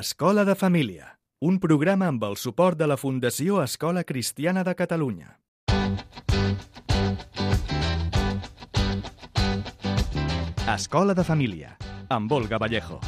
Escola de Família, un programa amb el suport de la Fundació Escola Cristiana de Catalunya. Escola de Família, amb Olga Vallejo.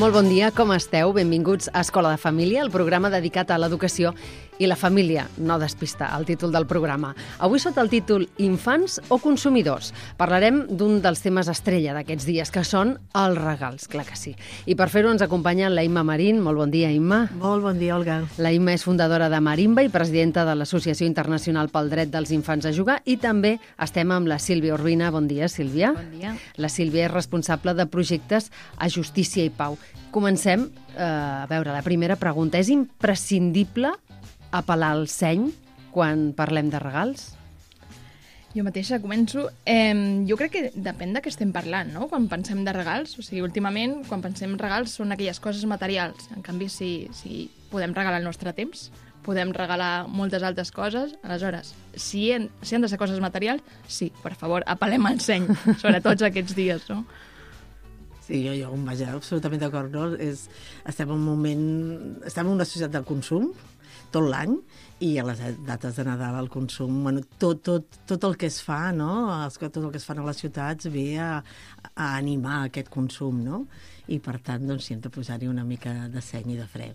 Molt bon dia, com esteu? Benvinguts a Escola de Família, el programa dedicat a l'educació i la família. No despistar el títol del programa. Avui sota el títol Infants o consumidors. Parlarem d'un dels temes estrella d'aquests dies, que són els regals, clar que sí. I per fer-ho ens acompanya la Imma Marín. Molt bon dia, Imma. Molt bon dia, Olga. La Imma és fundadora de Marimba i presidenta de l'Associació Internacional pel Dret dels Infants a Jugar, i també estem amb la Sílvia Urbina. Bon dia, Sílvia. Bon dia. La Sílvia és responsable de projectes a Justícia i Pau. Comencem, a veure, la primera pregunta. És imprescindible apel·lar al seny quan parlem de regals? Jo mateixa començo. Jo crec que depèn de què estem parlant, no?, quan pensem de regals. O sigui, últimament, quan pensem en regals, són aquelles coses materials. En canvi, si podem regalar el nostre temps, podem regalar moltes altres coses. Aleshores, si han de ser coses materials, sí, per favor, apel·lem al seny, sobretot aquests dies, no? Sí, jo vaja, absolutament d'acord, no? Estem en una societat del consum tot l'any, i a les dates de Nadal el consum, bueno, tot el que es fa, no? Tot el que es fa a les ciutats ve a animar aquest consum, no? I per tant, doncs, sí, hem de posar-hi una mica de seny i de fre.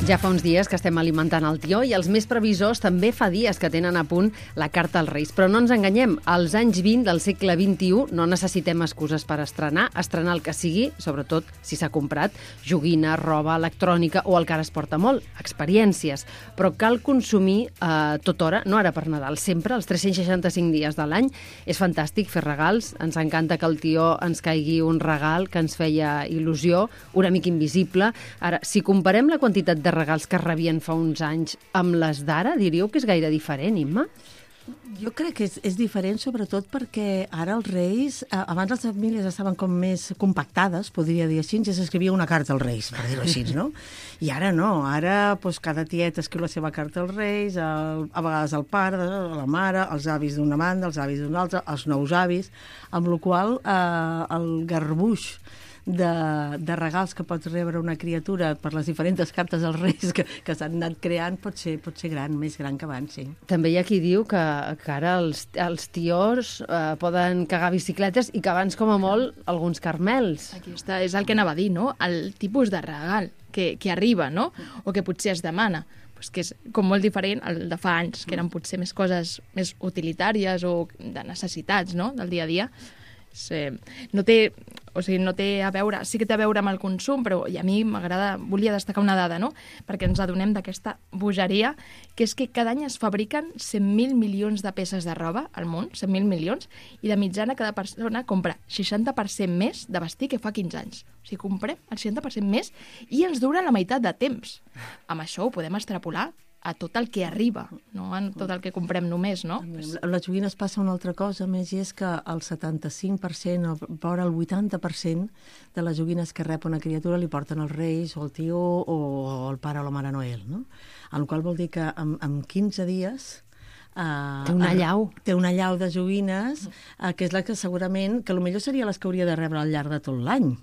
Ja fa uns dies que estem alimentant el tió, i els més previsors també fa dies que tenen a punt la carta als Reis. Però no ens enganyem, als anys 20 del segle XXI no necessitem excuses per estrenar el que sigui, sobretot si s'ha comprat joguina, roba, electrònica o el que ara es porta molt, experiències. Però cal consumir tota hora, no ara per Nadal, sempre, els 365 dies de l'any. És fantàstic fer regals, ens encanta que el tió ens caigui un regal que ens feia il·lusió, una mica invisible. Ara, si comparem la quantitat de regals que rebien fa uns anys amb les d'ara, diríeu que és gaire diferent, Imma? Jo crec que és diferent, sobretot perquè ara els Reis, abans les famílies estaven com més compactades, podria dir així, ja s'escrivia una carta als Reis, per dir-ho així, no? I ara no, ara doncs, cada tiet escriu la seva carta als Reis, a vegades el pare, la mare, els avis d'una banda, els avis d'una altra, els nous avis, amb la qual cosa el garbuix de regals que pot rebre una criatura per les diferents cartes als Reis que s'han anat creant pot ser gran, més gran que abans, sí. També hi ha qui diu que ara els tiors poden cagar bicicletes i que abans, com a molt, alguns carmels. Aquí està, és el que anava a dir, no?, el tipus de regal que arriba, no?, o que potser es demana. Pues que és com molt diferent al de fa anys, que eren potser més coses més utilitàries o de necessitats, no?, del dia a dia. No té a veure, sí que té a veure amb el consum, però i a mi volia destacar una dada, no?, perquè ens adonem d'aquesta bogeria, que és que cada any es fabriquen 100.000 milions de peces de roba al món, 100.000 milions, i de mitjana cada persona compra 60% més de vestir que fa 15 anys. O sigui, comprem el 60% més i ens dura la meitat de temps. Amb això ho podem extrapolar a tot el que arriba, no a tot el que comprem només, no? A les joguines passa una altra cosa més, i és que el 75% o vora el 80% de les joguines que rep una criatura li porten els Reis o el tio o el pare o la mare Noel, no? El qual vol dir que en 15 dies té una allau. Té una allau de joguines, que és la que segurament, que potser seria les que hauria de rebre al llarg de tot l'any.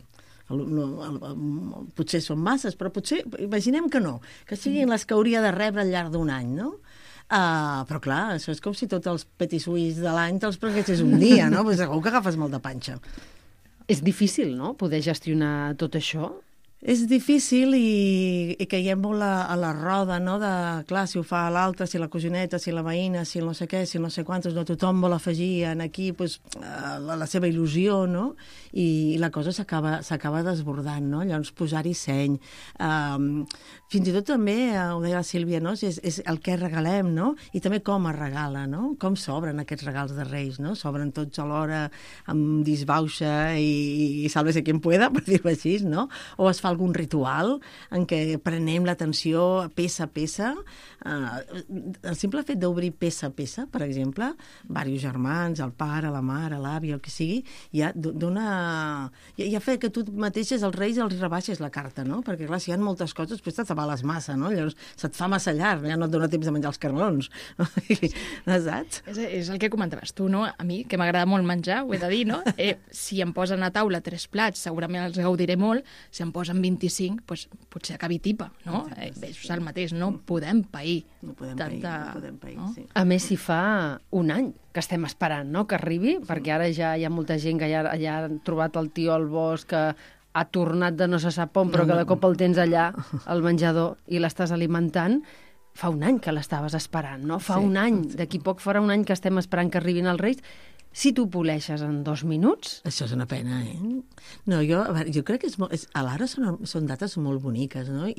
Potser són masses, però potser, imaginem que no, que siguin les que hauria de rebre al llarg d'un any, no? Però clar, això és com si tots els petisuís de l'any te'ls prenguessis un dia, no? Pues segur que agafes molt de panxa. És difícil, no?, poder gestionar tot això? És difícil i caiem molt a la roda, no?, de, clar, si ho fa l'altre, si la cosineta, si la veïna, si no sé què, si no sé quantos, no tothom vol afegir en aquí pues, la seva il·lusió, no?, i la cosa s'acaba desbordant, no?, llavors posar-hi seny. Fins i tot també, ho deia la Sílvia, no?, és el que regalem, no?, i també com es regala, no?, com s'obren aquests regals de Reis, no?, s'obren tots alhora amb disbauxa i sálvese quien pueda, per dir-ho així, no?, o es fa algun ritual en què prenem l'atenció peça a peça. El simple fet d'obrir peça a peça, per exemple, diversos germans, el pare, la mare, l'avi, el que sigui, ja dona... Ja fa que tu mateixes els reis els rebaixes la carta, no? Perquè, clar, si hi ha moltes coses, després t'atabales massa, no? Llavors se't fa massa llarg, ja no et dona temps de menjar els carmelons. Saps? És el que comentaves tu, no? A mi, que m'agrada molt menjar, ho he de dir, no? Si em posen a taula 3 plats, segurament els gaudiré molt. Si em posen 25, doncs potser acabi tipa, no? És el mateix, no podem pair. No podem pair, no? sí. A més, si fa un any que estem esperant, no?, que arribi, perquè ara ja hi ha molta gent que ja ha trobat el tio al bosc, que ha tornat de no se sap on, però que de cop el tens allà al menjador i l'estàs alimentant. Fa un any que l'estaves esperant, no? Fa un any, d'aquí poc farà un any que estem esperant que arribin els Reis. Si tu poleixes en 2 minuts... Això és una pena, eh? No, jo crec que a l'ara són dates molt boniques, no?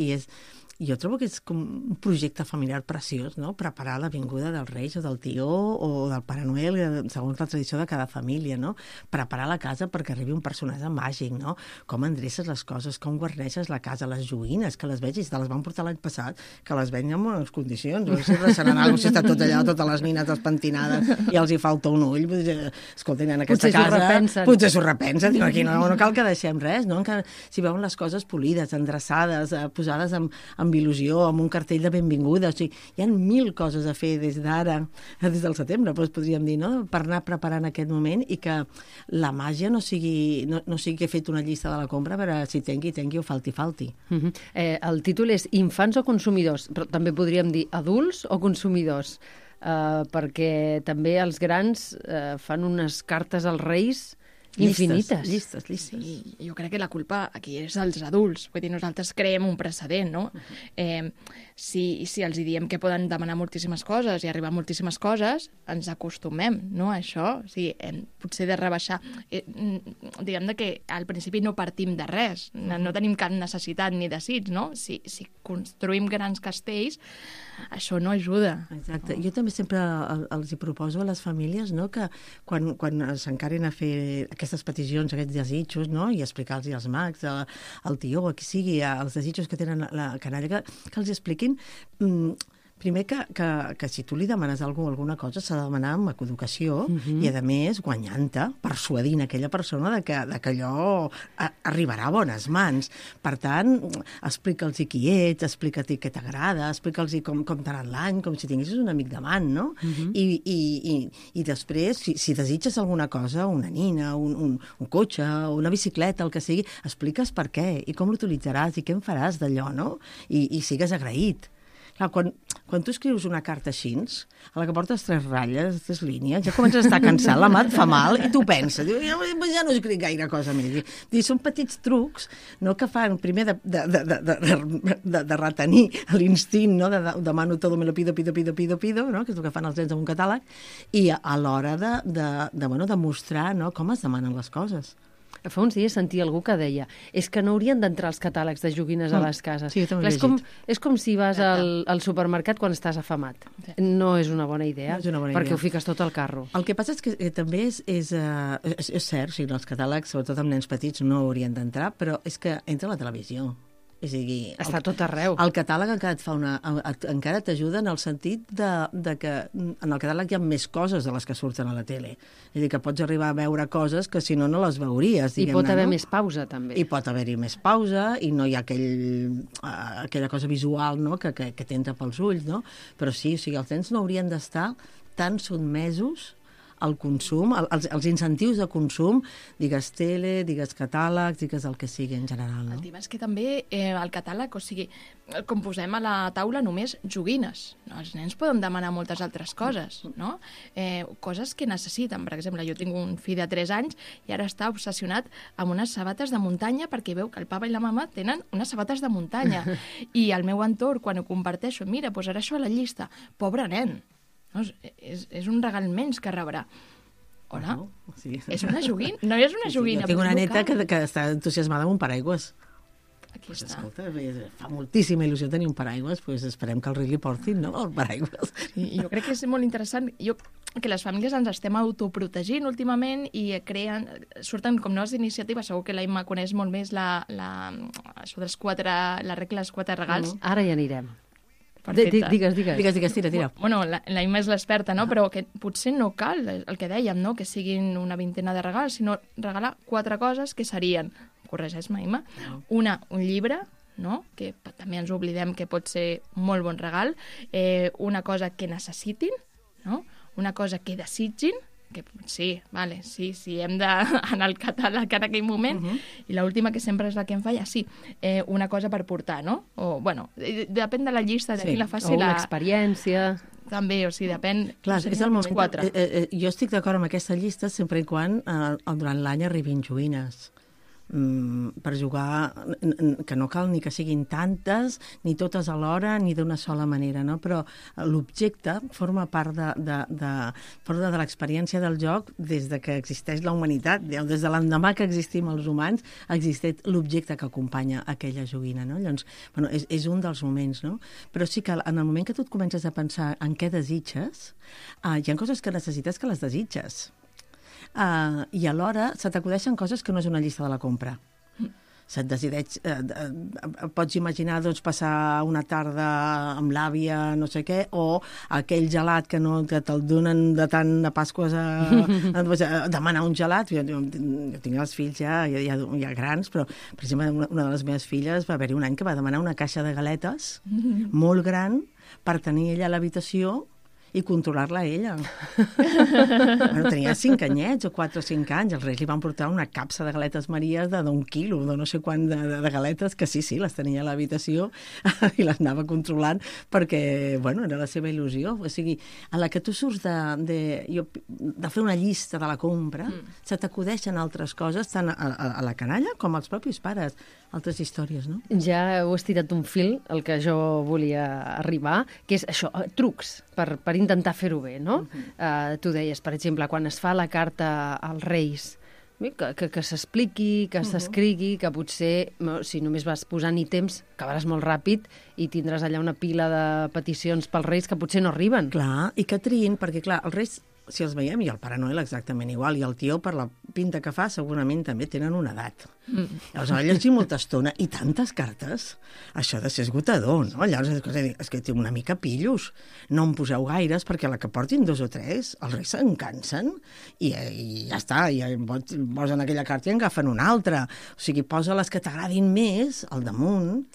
Jo trobo que és com un projecte familiar preciós, no? Preparar la vinguda del Reis o del tió o del Pare Noel, segons la tradició de cada família, no? Preparar la casa perquè arribi un personatge màgic, no? Com endreces les coses, com guarneixes la casa, les joguines, que les vegis, te les van portar l'any passat, que les veien en bones condicions, no sé si seran alguna cosa, si està tot allà, totes les nines despentinades i els hi falta un ull, escolta, en aquesta casa... Potser s'ho repensen. Diu, aquí no cal que deixem res, no? Si veuen les coses polides, endreçades, posades amb il·lusió, amb un cartell de benvinguda, o sigui, hi ha 1000 coses a fer des d'ara, des del setembre, doncs podríem dir, no?, per anar preparant aquest moment i que la màgia no sigui que he fet una llista de la compra per a si tengui o falti. El títol és Infants o consumidors, però també podríem dir adults o consumidors, perquè també els grans fan unes cartes als Reis infinites. Llistes. Sí, jo crec que la culpa aquí és dels adults. Vull dir, nosaltres creem un precedent, no? Si els diem que poden demanar moltíssimes coses i arribar a moltíssimes coses, ens acostumem, no, a això. O sigui, potser de rebaixar... diguem que al principi no partim de res, no tenim cap necessitat ni desig, no? Si construïm grans castells, això no ajuda. Exacte. Jo també sempre els hi proposo a les famílies, no?, que quan s'encarin a fer aquestes peticions, aquests desitjos, no?, i explicar-los als mags, al tió, a qui sigui, els desitjos que tenen la canalla, que els expliquin... Primer que si tu li demanes alguna cosa s'ha de demanar amb educació i, a més, guanyant-te, persuadint aquella persona que allò arribarà a bones mans. Per tant, explica'ls qui ets, explica-t'hi què t'agrada, explica'ls com t'ha anat l'any, com si tinguessis un amic davant, no? I després, si desitges alguna cosa, una nina, un cotxe, una bicicleta, el que sigui, expliques per què i com l'utilitzaràs i què en faràs d'allò, no? I sigues agraït. Clar, quan tu escrius una carta així, a la que portes 3 ratlles, 3 línies, ja comences a estar cansat, la mà et fa mal, i tu penses, ja no escric gaire cosa més. Són petits trucs, no?, que fan primer de retenir l'instint, no?, demano todo, me lo pido, no?, que és el que fan els nens en un catàleg, i a l'hora de mostrar, no?, com es demanen les coses. Fa uns dies sentia algú que deia és que no haurien d'entrar els catàlegs de joguines a les cases. Sí, jo també ho he és com si vas al supermercat quan estàs afamat. No és una bona idea, perquè ho fiques tot al carro. El que passa és que també és cert, o els catàlegs, sobretot amb nens petits, no haurien d'entrar, però és que entra a la televisió. És a dir, està tot arreu. El catàleg encara t'ajuda en el sentit de que en el catàleg hi ha més coses de les que surten a la tele. És a dir, que pots arribar a veure coses que si no les veuries. I pot haver més pausa, també. I pot haver-hi més pausa, i no hi ha aquella cosa visual, no?, que t'entra pels ulls, no? Però sí, o sigui, els nens no haurien d'estar tan sotmesos al consum, els incentius de consum, digues tele, digues catàlegs, digues el que sigui en general. No? El tema és que també el catàleg, o sigui, com posem a la taula només joguines. No? Els nens poden demanar moltes altres coses, no? Coses que necessiten. Per exemple, jo tinc un fill de 3 anys i ara està obsessionat amb unes sabates de muntanya perquè veu que el papa i la mama tenen unes sabates de muntanya. I al meu entorn, quan ho comparteixo, mira, posaré això a la llista. Pobre nen. No, és un regal menys que rebrà. Hola? Sí. És una joguina? No és una joguina. Jo tinc una neta que està entusiasmada amb un paraigües. Aquí està. Escolta, fa moltíssima il·lusió tenir un paraigües, esperem que el rei li portin, no?, el paraigües. Sí, jo crec que és molt interessant. Jo que les famílies ens estem autoprotegint últimament i surten com noves iniciatives. Segur que la Imma coneix molt més això dels la regla dels 4 regals. Ara hi anirem. Perfecte. Digues. Tira. Bueno, la Imma és l'experta, no? Però que potser no cal, el que dèiem, no? Que siguin una vintena de regals, sinó regalar 4 coses que serien, corregeix-me, Imma, un llibre, no? Que també ens oblidem que pot ser un molt bon regal, una cosa que necessitin, no? Una cosa que desitgin, que sí, vale, sí, hem d'anar al catàleg en aquell moment, i l'última, que sempre és la que em falla, sí, una cosa per portar, no? O, bueno, depèn de la llista, de qui la faci. O una experiència. També, o sigui, depèn... Clar, és el moment. 4. Jo estic d'acord amb aquesta llista sempre i quan durant l'any arribin joguines. Per jugar, que no cal ni que siguin tantes, ni totes alhora, ni d'una sola manera, no? Però l'objecte forma part de l'experiència del joc des de que existeix la humanitat, des de l'endemà que existim els humans, existeix l'objecte que acompanya aquella joguina, no? Llavors, bueno, és un dels moments, no? Però sí que en el moment que tu et comences a pensar en què desitges, hi ha coses que necessites que les desitges. I alhora se t'acudeixen coses que no és una llista de la compra. Se't decideix, pots imaginar passar una tarda amb l'àvia, no sé què, o aquell gelat que te'l donen de tant de Pasques a demanar un gelat. Jo tinc els fills ja grans, però, per exemple, una de les meves filles va haver-hi un any que va demanar una caixa de galetes molt gran per tenir ella a l'habitació i controlar-la ella. Bueno, tenia 5 anyets o 4 o 5 anys. Els Reis li van portar una capsa de galetes Maries d'un quilo, de no sé quant de galetes, que sí, les tenia a l'habitació i les anava controlant perquè, bueno, era la seva il·lusió. O sigui, a la que tu surts de fer una llista de la compra, se t'acudeixen altres coses, tant a la canalla com als propis pares. Altres històries, no? Ja heu estirat un fil, el que jo volia arribar, que és això, trucs per intentar fer-ho bé, no? Tu deies, per exemple, quan es fa la carta als Reis, que s'expliqui, que s'escrigui, que potser, si només vas posant ítems, acabaràs molt ràpid i tindràs allà una pila de peticions pels Reis que potser no arriben. Clar, i que triïn, perquè clar, els Reis, si els veiem, i el Pare Noel exactament igual, i el tió, per la pinta que fa, segurament també tenen una edat. Llavors, va llegir molta estona, i tantes cartes, això ha de ser esgotador, no? Llavors, és que té una mica pillos. No en poseu gaires, perquè a la que portin 2 o 3, els Reis se'n cansen, i ja està, i posen aquella carta i en agafen una altra. O sigui, posa les que t'agradin més al damunt,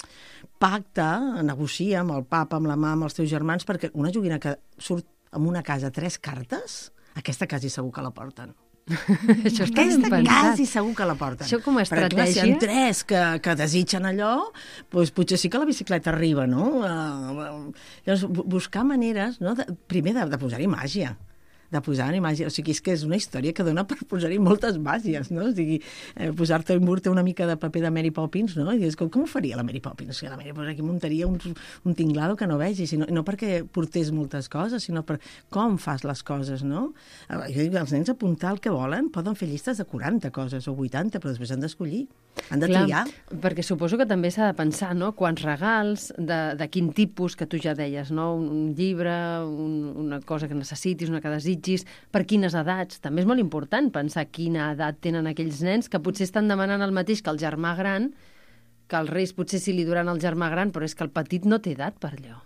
pacta, negocia amb el papa, amb la mà, amb els teus germans, perquè una joguina que surt en una casa 3 cartes, aquesta quasi segur que la porten. Això està ben pensat. Quasi segur que la porten. Això com a estratègia... Perquè si hi ha 3 que desitgen allò, doncs potser sí que la bicicleta arriba, no? Llavors, buscar maneres, no? Primer de posar-hi màgia. O sigui, és que és una història que dona per posar-hi moltes màgies, no? O sigui, posar-te a embur-te una mica de paper de Mary Poppins, no? I dius, com ho faria la Mary Poppins? La Mary Poppins aquí muntaria un tinglado que no vegis, no perquè portés moltes coses, sinó per com fas les coses, no? Jo dic, els nens apuntar el que volen, poden fer llistes de 40 coses o 80, però després han d'escollir, han de triar. Perquè suposo que també s'ha de pensar, no?, quants regals, de quin tipus, que tu ja deies, no?, un llibre, una cosa que necessitis, una que desitgis, per quines edats. També és molt important pensar quina edat tenen aquells nens que potser estan demanant el mateix que el germà gran, que els Reis potser sí li duran al germà gran, però és que el petit no té edat per allò.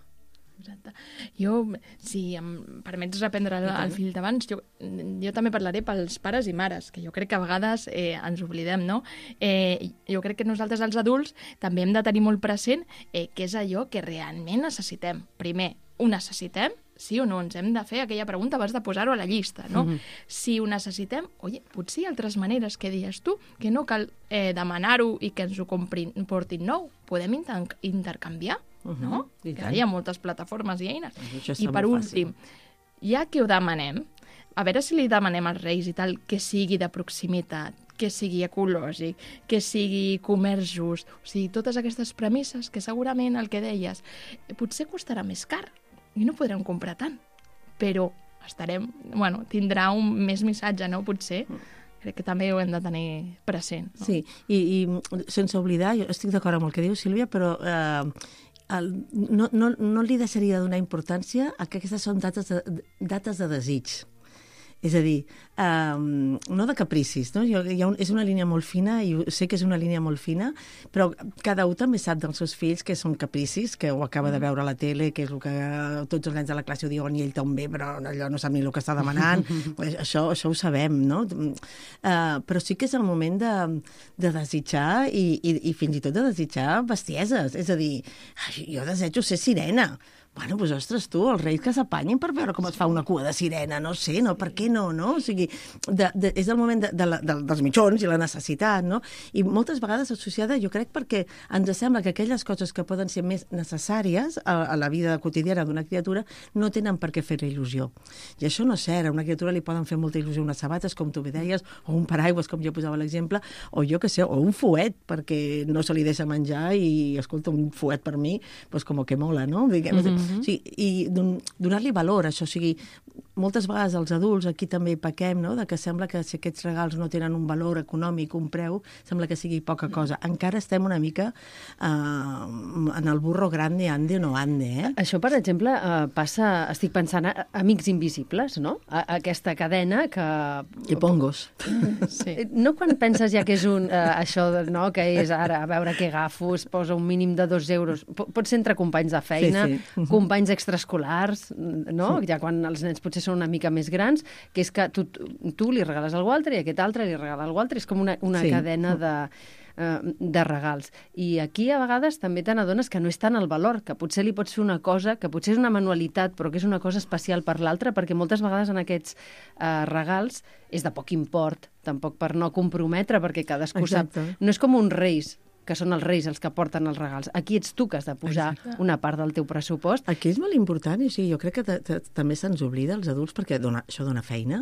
Exacte. Jo, si em permets reprendre el fil d'abans, jo també parlaré pels pares i mares, que jo crec que a vegades ens oblidem, no? Jo crec que nosaltres, els adults, també hem de tenir molt present què és allò que realment necessitem. Primer, ho necessitem? Sí o no? Ens hem de fer aquella pregunta abans de posar-ho a la llista, no? Si ho necessitem, potser hi ha altres maneres, que dius tu, que no cal demanar-ho i que ens ho portin nou. Podem intercanviar, no? Que hi ha moltes plataformes i eines. I per últim, ja que ho demanem, a veure si li demanem als Reis i tal que sigui de proximitat, que sigui ecològic, que sigui comerç just, o sigui, totes aquestes premisses que segurament el que deies potser costarà més car i no podrem comprar tant, però tindrà un més missatge, no? Potser. Crec que també ho hem de tenir present. No? Sí, i sense oblidar, jo estic d'acord amb el que diu Sílvia, però no li deixaria de donar importància a que aquestes són dates de desig. És a dir, no de capricis, no? És una línia molt fina, i sé que és una línia molt fina, però cada un també sap dels seus fills que són capricis, que ho acaba de veure a la tele, que és el que tots els nens de la classe ho diuen i ell també, però allò no sap ni el que està demanant. Això ho sabem, no? Però sí que és el moment de desitjar i fins i tot de desitjar bestieses. És a dir, jo desejo ser sirena. Bueno, doncs, ostres, tu, els reis que s'apanyin per veure com es fa una cua de sirena, no sé, no? Per què no, no? O sigui, és el moment dels mitjons i la necessitat, no? I moltes vegades associada, jo crec, perquè ens sembla que aquelles coses que poden ser més necessàries a la vida quotidiana d'una criatura no tenen per què fer-li il·lusió. I això no és cert. A una criatura li poden fer molta il·lusió unes sabates, com tu bé deies, o un paraigües, com jo posava l'exemple, o jo què sé, o un fuet, perquè no se li deixa menjar i, escolta, un fuet per mi, doncs com que mola, no? Diguem, o sigui, i donar-li valor a això. O sigui, moltes vegades els adults aquí també hi pequem, no? De que sembla que si aquests regals no tenen un valor econòmic, un preu, sembla que sigui poca cosa. Encara estem una mica en el burro grande, ande o no ande, eh? Això, per exemple, passa, estic pensant, a Amics Invisibles, no? Aquesta cadena que... I pongos. Sí. No quan penses ja que és això, no? Que és ara, a veure què agafo, es posa un mínim de 2 euros. Pot ser entre companys de feina, sí. Companys extraescolars, no? Ja quan els nens potser són una mica més grans, que és que tu li regales a algú altre i aquest altre li regala a algú altre. És com una cadena de regals. I aquí a vegades també te n'adones que no és tant el valor, que potser li pots fer una cosa, que potser és una manualitat, però que és una cosa especial per l'altre, perquè moltes vegades en aquests regals és de poc import, tampoc per no comprometre, perquè cadascú sap. No és com uns reis, que són els reis els que porten els regals. Aquí ets tu que has de posar una part del teu pressupost. Aquí és molt important, i sí, jo crec que també se'ns oblida els adults, perquè això dona feina,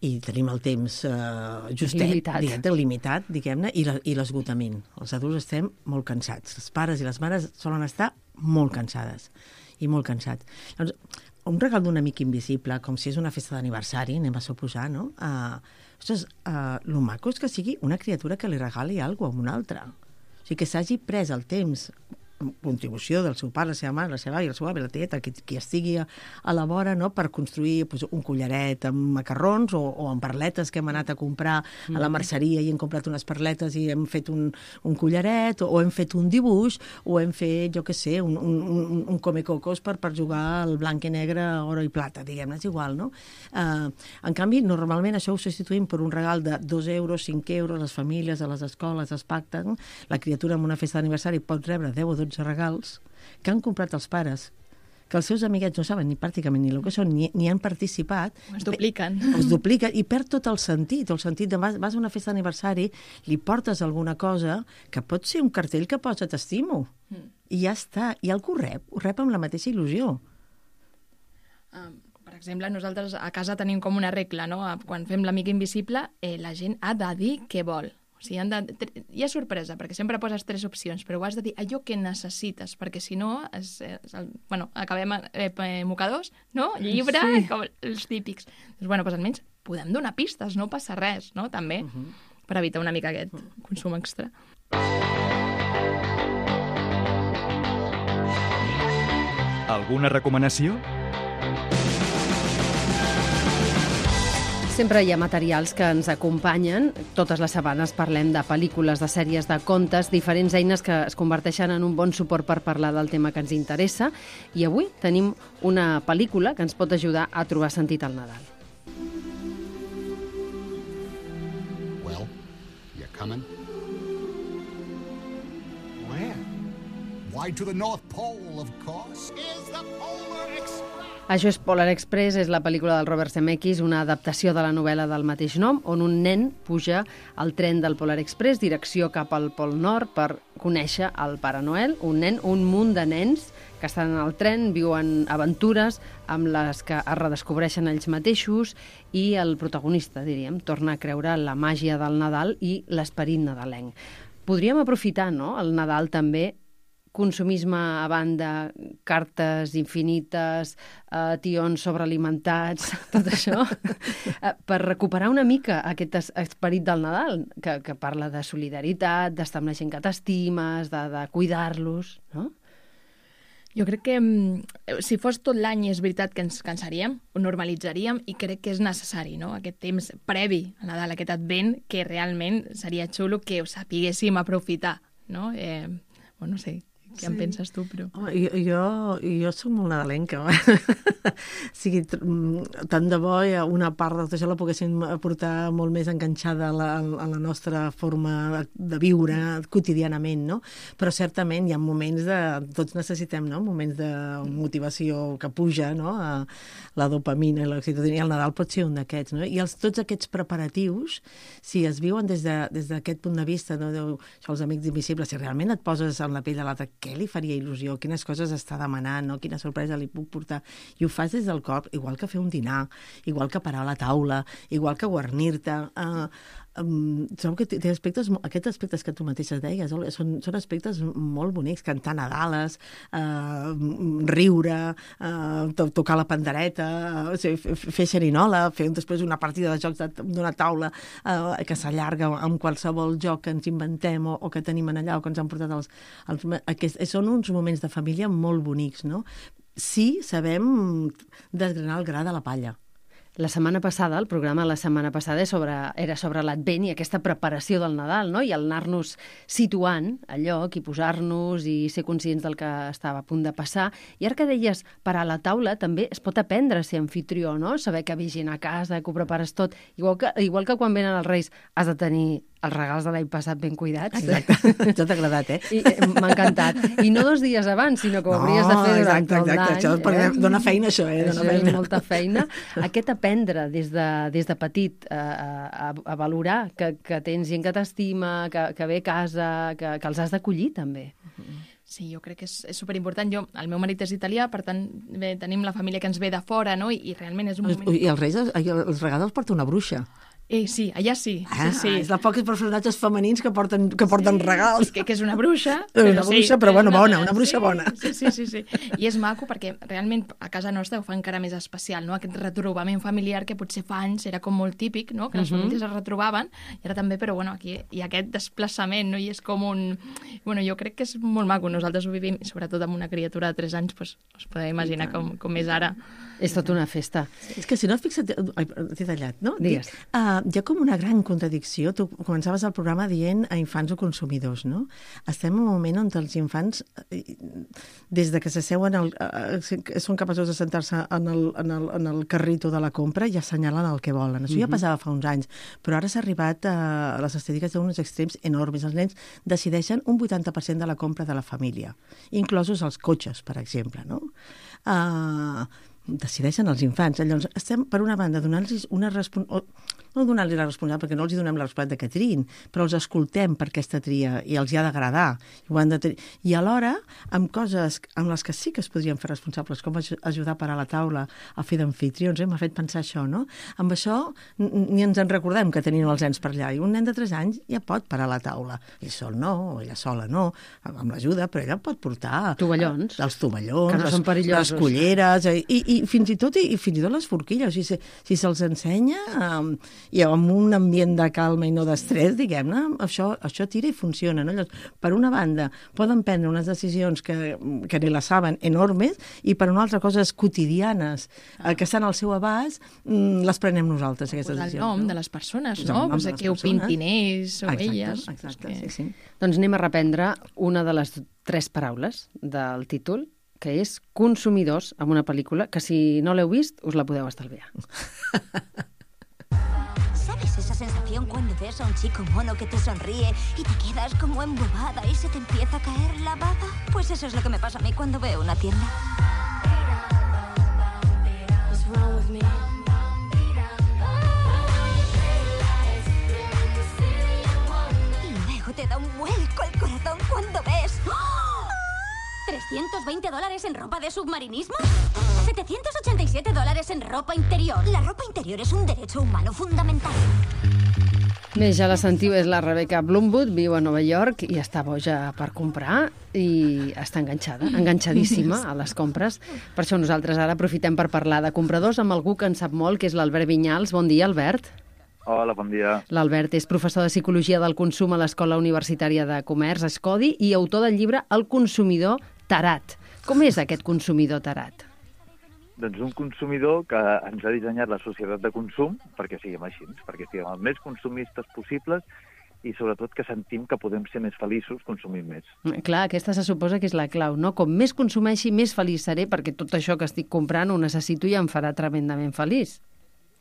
i tenim el temps justet, limitat, diguem-ne, i l'esgotament. Els adults estem molt cansats. Els pares i les mares solen estar molt cansades i molt cansats. Llavors, un regal d'un amic invisible, com si és una festa d'aniversari, anem a suposar, no? Ostres, lo maco és que sigui una criatura que li regali alguna cosa a una altra. O sigui, que s'hagi pres el temps, contribució del seu pare, la seva mare, la seva àvia, el seu avi, la tieta, qui estigui a la vora, no?, per construir un collaret amb macarrons o amb perletes que hem anat a comprar a la merceria i hem comprat unes perletes i hem fet un collaret, o hem fet un dibuix, o hem fet, jo què sé, un come-cocos per jugar al blanc i negre, oro i plata, diguem-ne, és igual, no? En canvi, normalment això ho substituïm per un regal de 2 euros, 5 euros, les famílies, a les escoles es pacten, la criatura en una festa d'aniversari pot rebre 10 o 12 regals que han comprat els pares, que els seus amiguets no saben ni pràcticament ni el que són, ni han participat. Es dupliquen. Es dupliquen i perd tot el sentit de vas a una festa d'aniversari, li portes alguna cosa que pot ser un cartell que posa t'estimo, i ja està, i algú ho rep amb la mateixa il·lusió. Per exemple, nosaltres a casa tenim com una regla, no? Quan fem l'amic invisible, la gent ha de dir què vol. O sigui, hi ha sorpresa, perquè sempre poses 3 opcions, però ho has de dir allò que necessites, perquè si no, acabem mocadors, no? Llibre, com els típics. Doncs, almenys podem donar pistes, no passa res, no? També, per evitar una mica aquest consum extra. Alguna recomanació? Sempre hi ha materials que ens acompanyen. Totes les setmanes parlem de pel·lícules, de sèries, de contes, diferents eines que es converteixen en un bon suport per parlar del tema que ens interessa. I avui tenim una pel·lícula que ens pot ajudar a trobar sentit al Nadal. Well, you coming? Where? Why, to the North Pole, of course. Is the Polar Express. Això és Polar Express, és la pel·lícula del Robert Zemeckis, una adaptació de la novel·la del mateix nom, on un nen puja al tren del Polar Express, direcció cap al Pol Nord, per conèixer el Pare Noel. Un munt de nens que estan al tren, viuen aventures amb les que es redescobreixen ells mateixos, i el protagonista, diríem, torna a creure en la màgia del Nadal i l'esperit nadalenc. Podríem aprofitar, no?, el Nadal també, consumisme a banda, cartes infinites, tions sobrealimentats, tot això, per recuperar una mica aquest esperit del Nadal, que parla de solidaritat, d'estar amb la gent que t'estimes, de cuidar-los, no? Jo crec que si fos tot l'any és veritat que ens cansaríem, ho normalitzaríem i crec que és necessari, no? Aquest temps previ a Nadal, aquest advent, que realment seria xulo que ho sapiguéssim aprofitar, no? No sé, què en penses tu, però... Home, jo soc molt nadalenca. O sigui, tant de bo una part de tot això la poguéssim portar molt més enganxada a la nostra forma de viure quotidianament, no? Però certament hi ha moments tots necessitem, no? Moments de motivació que puja, no? La dopamina i l'oxitocina, i el Nadal pot ser un d'aquests, no? I tots aquests preparatius, si es viuen des d'aquest punt de vista, no? Això, els amics invisibles, si realment et poses en la pell de l'altre, què li faria il·lusió, quines coses està demanant, no? Quina sorpresa li puc portar, i ho fas des del cor, igual que fer un dinar, igual que parar a la taula, igual que guarnir-te. Trobo que té aspectes, aquests aspectes que tu mateixes deies, són aspectes molt bonics, cantar nadales, riure, tocar la pandereta, fer xerinola, fer després una partida de jocs d'una taula que s'allarga amb qualsevol joc que ens inventem o que tenim allà o que ens han portat són uns moments de família molt bonics, no? Sí, sabem desgranar el gra de la palla. La setmana passada, el programa de la setmana passada era sobre l'Advent i aquesta preparació del Nadal, no? I el anar-nos situant a lloc i posar-nos i ser conscients del que estava a punt de passar. I ara que deies parar a la taula, també es pot aprendre a ser anfitrió, no? Saber que vigina a casa, que ho prepares tot. Igual que quan venen els Reis has de tenir els regals de l'any passat ben cuidats. Exacte, això t'ha agradat, M'ha encantat. I no 2 dies abans, sinó que ho hauries de fer durant tot l'any. Això dona feina, això, Això és molta feina. Aquest aprendre des de petit a valorar que tens gent que t'estima, que ve a casa, que els has d'acollir, també. Sí, jo crec que és superimportant. El meu marit és italià, per tant, tenim la família que ens ve de fora, no? I realment és un moment... I els Reis, els regals els porta una bruixa. Sí, allà sí. Sí. És de pocs personatges femenins que porten regals. Que és una bruixa. Una bruixa, però bueno, bona, una bruixa bona. Sí. I és maco perquè realment a casa nostra ho fa encara més especial, no? Aquest retrobament familiar que potser fa anys era com molt típic, no? Que les famílies es retrobaven, i ara també, però bueno, aquí hi ha aquest desplaçament, no? I és com un... Bueno, jo crec que és molt maco. Nosaltres ho vivim, sobretot amb una criatura de 3 anys, doncs us podeu imaginar com és ara. És tota una festa. És que si no et fixa't... Ai, t'he tallat, no? Digues. Hi ha com una gran contradicció. Tu començaves el programa dient a infants o consumidors, no? Estem en un moment on els infants, des de que s'asseuen, són capaços de sentar-se en el carrito de la compra i assenyalen el que volen. Això ja passava fa uns anys, però ara s'ha arribat a les estadístiques d'uns extrems enormes. Els nens decideixen un 80% de la compra de la família, inclosos els cotxes, per exemple, no? Decideixen els infants. Llavors, estem, per una banda, donant-los una responsabilitat, no donar-los la responsabilitat, perquè no els donem la responsabilitat que triïn, però els escoltem per aquesta tria i els hi ha d'agradar. I alhora, amb coses amb les que sí que es podrien fer responsables, com ajudar a parar la taula, a fer d'anfitrions, m'ha fet pensar això, no? Amb això ni ens en recordem que tenim els nens per allà. I un nen de 3 anys ja pot parar la taula. Ell sol no, o ella sola no, amb l'ajuda, però ella pot portar... Tovallons. Els tovallons, que no són perillosos. Les culleres, i fins i tot les forquilles. Si se'ls ensenya... i amb un ambient de calma i no d'estrès, diguem-ne, això tira i funciona. No? Llavors, per una banda, poden prendre unes decisions que ni la saben enormes, i per una altra, coses quotidianes que estan al seu abast, les prenem nosaltres, aquestes decisions. El nom de les persones, no? Que ho pintin ells o elles. Exacte, sí. Doncs anem a reprendre una de les 3 paraules del títol, que és consumidors, amb una pel·lícula que, si no l'heu vist, us la podeu estalviar. ¿Sabes esa sensación cuando ves a un chico mono que te sonríe y te quedas como embobada y se te empieza a caer la baba? Pues eso es lo que me pasa a mí cuando veo una tienda. Y luego te da un vuelco el corazón cuando ves... $320 en ropa de submarinismo, $787 en ropa interior. La ropa interior es un derecho humano fundamental. Bé, ja la sentiu, és la Rebecca Bloomwood, viu a Nova York i està boja per comprar i està enganxadíssima a les compres. Per això nosaltres ara aprofitem per parlar de compradors amb algú que en sap molt, que és l'Albert Vinyals. Bon dia, Albert. Hola, bon dia. L'Albert és professor de Psicologia del Consum a l'Escola Universitària de Comerç, Escodi, i autor del llibre El consumidor tarat. Com és aquest consumidor tarat? Doncs un consumidor que ens ha dissenyat la societat de consum perquè siguem així, perquè siguem els més consumistes possibles i sobretot que sentim que podem ser més feliços consumint més. Clar, aquesta se suposa que és la clau, no? Com més consumeixi, més feliç seré, perquè tot això que estic comprant ho necessito i em farà tremendament feliç.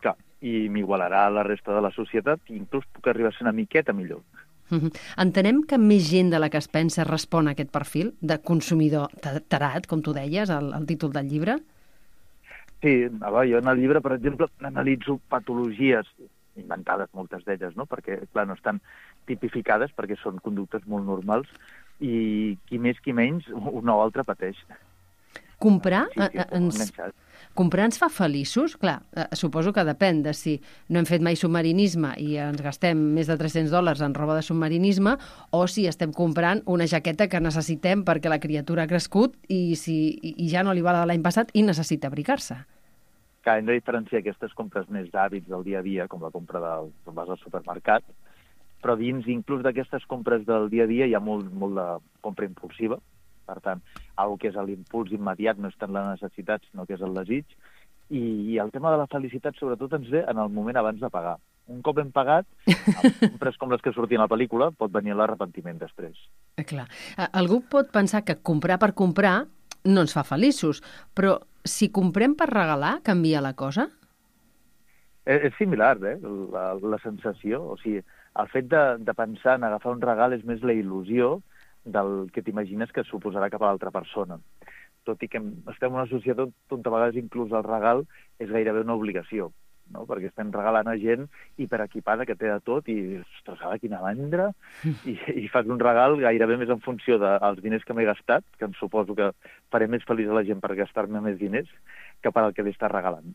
Clar, i m'igualarà a la resta de la societat i inclús puc arribar a ser una miqueta millor. Entenem que més gent de la que es pensa respon a aquest perfil de consumidor tarat, com tu deies, el títol del llibre? Sí, jo en el llibre, per exemple, analitzo patologies inventades, moltes d'elles, no? Perquè, clar, no estan tipificades perquè són conductes molt normals i qui més qui menys una o altra pateix. Comprar ens fa feliços? Clar, suposo que depèn de si no hem fet mai submarinisme i ens gastem més de $300 en roba de submarinisme o si estem comprant una jaqueta que necessitem perquè la criatura ha crescut i ja no li va l'any passat i necessita abrigar-se. Hem de diferenciar aquestes compres més d'hàbits del dia a dia, com la compra vas al supermercat, però dins inclús d'aquestes compres del dia a dia hi ha molt de compra impulsiva. Per tant, algo que és l'impuls immediat, no és tant la necessitat, sinó que és el desig. I el tema de la felicitat, sobretot, ens ve en el moment abans de pagar. Un cop hem pagat, amb compres com les que sortien a la pel·lícula, pot venir l'arrepentiment després. Clar. Algú pot pensar que comprar per comprar no ens fa feliços, però si comprem per regalar, canvia la cosa? És similar, la sensació. O sigui, el fet de pensar en agafar un regal és més la il·lusió del que t'imagines que suposarà cap a l'altra persona. Tot i que estem en una societat on a vegades inclús el regal és gairebé una obligació, no? Perquè estem regalant a gent hiperequipada que té de tot i, ostres, quina mandra, i fas un regal gairebé més en funció dels diners que m'he gastat, que em suposo que faré més feliç a la gent per gastar-me més diners, que per al que li està regalant.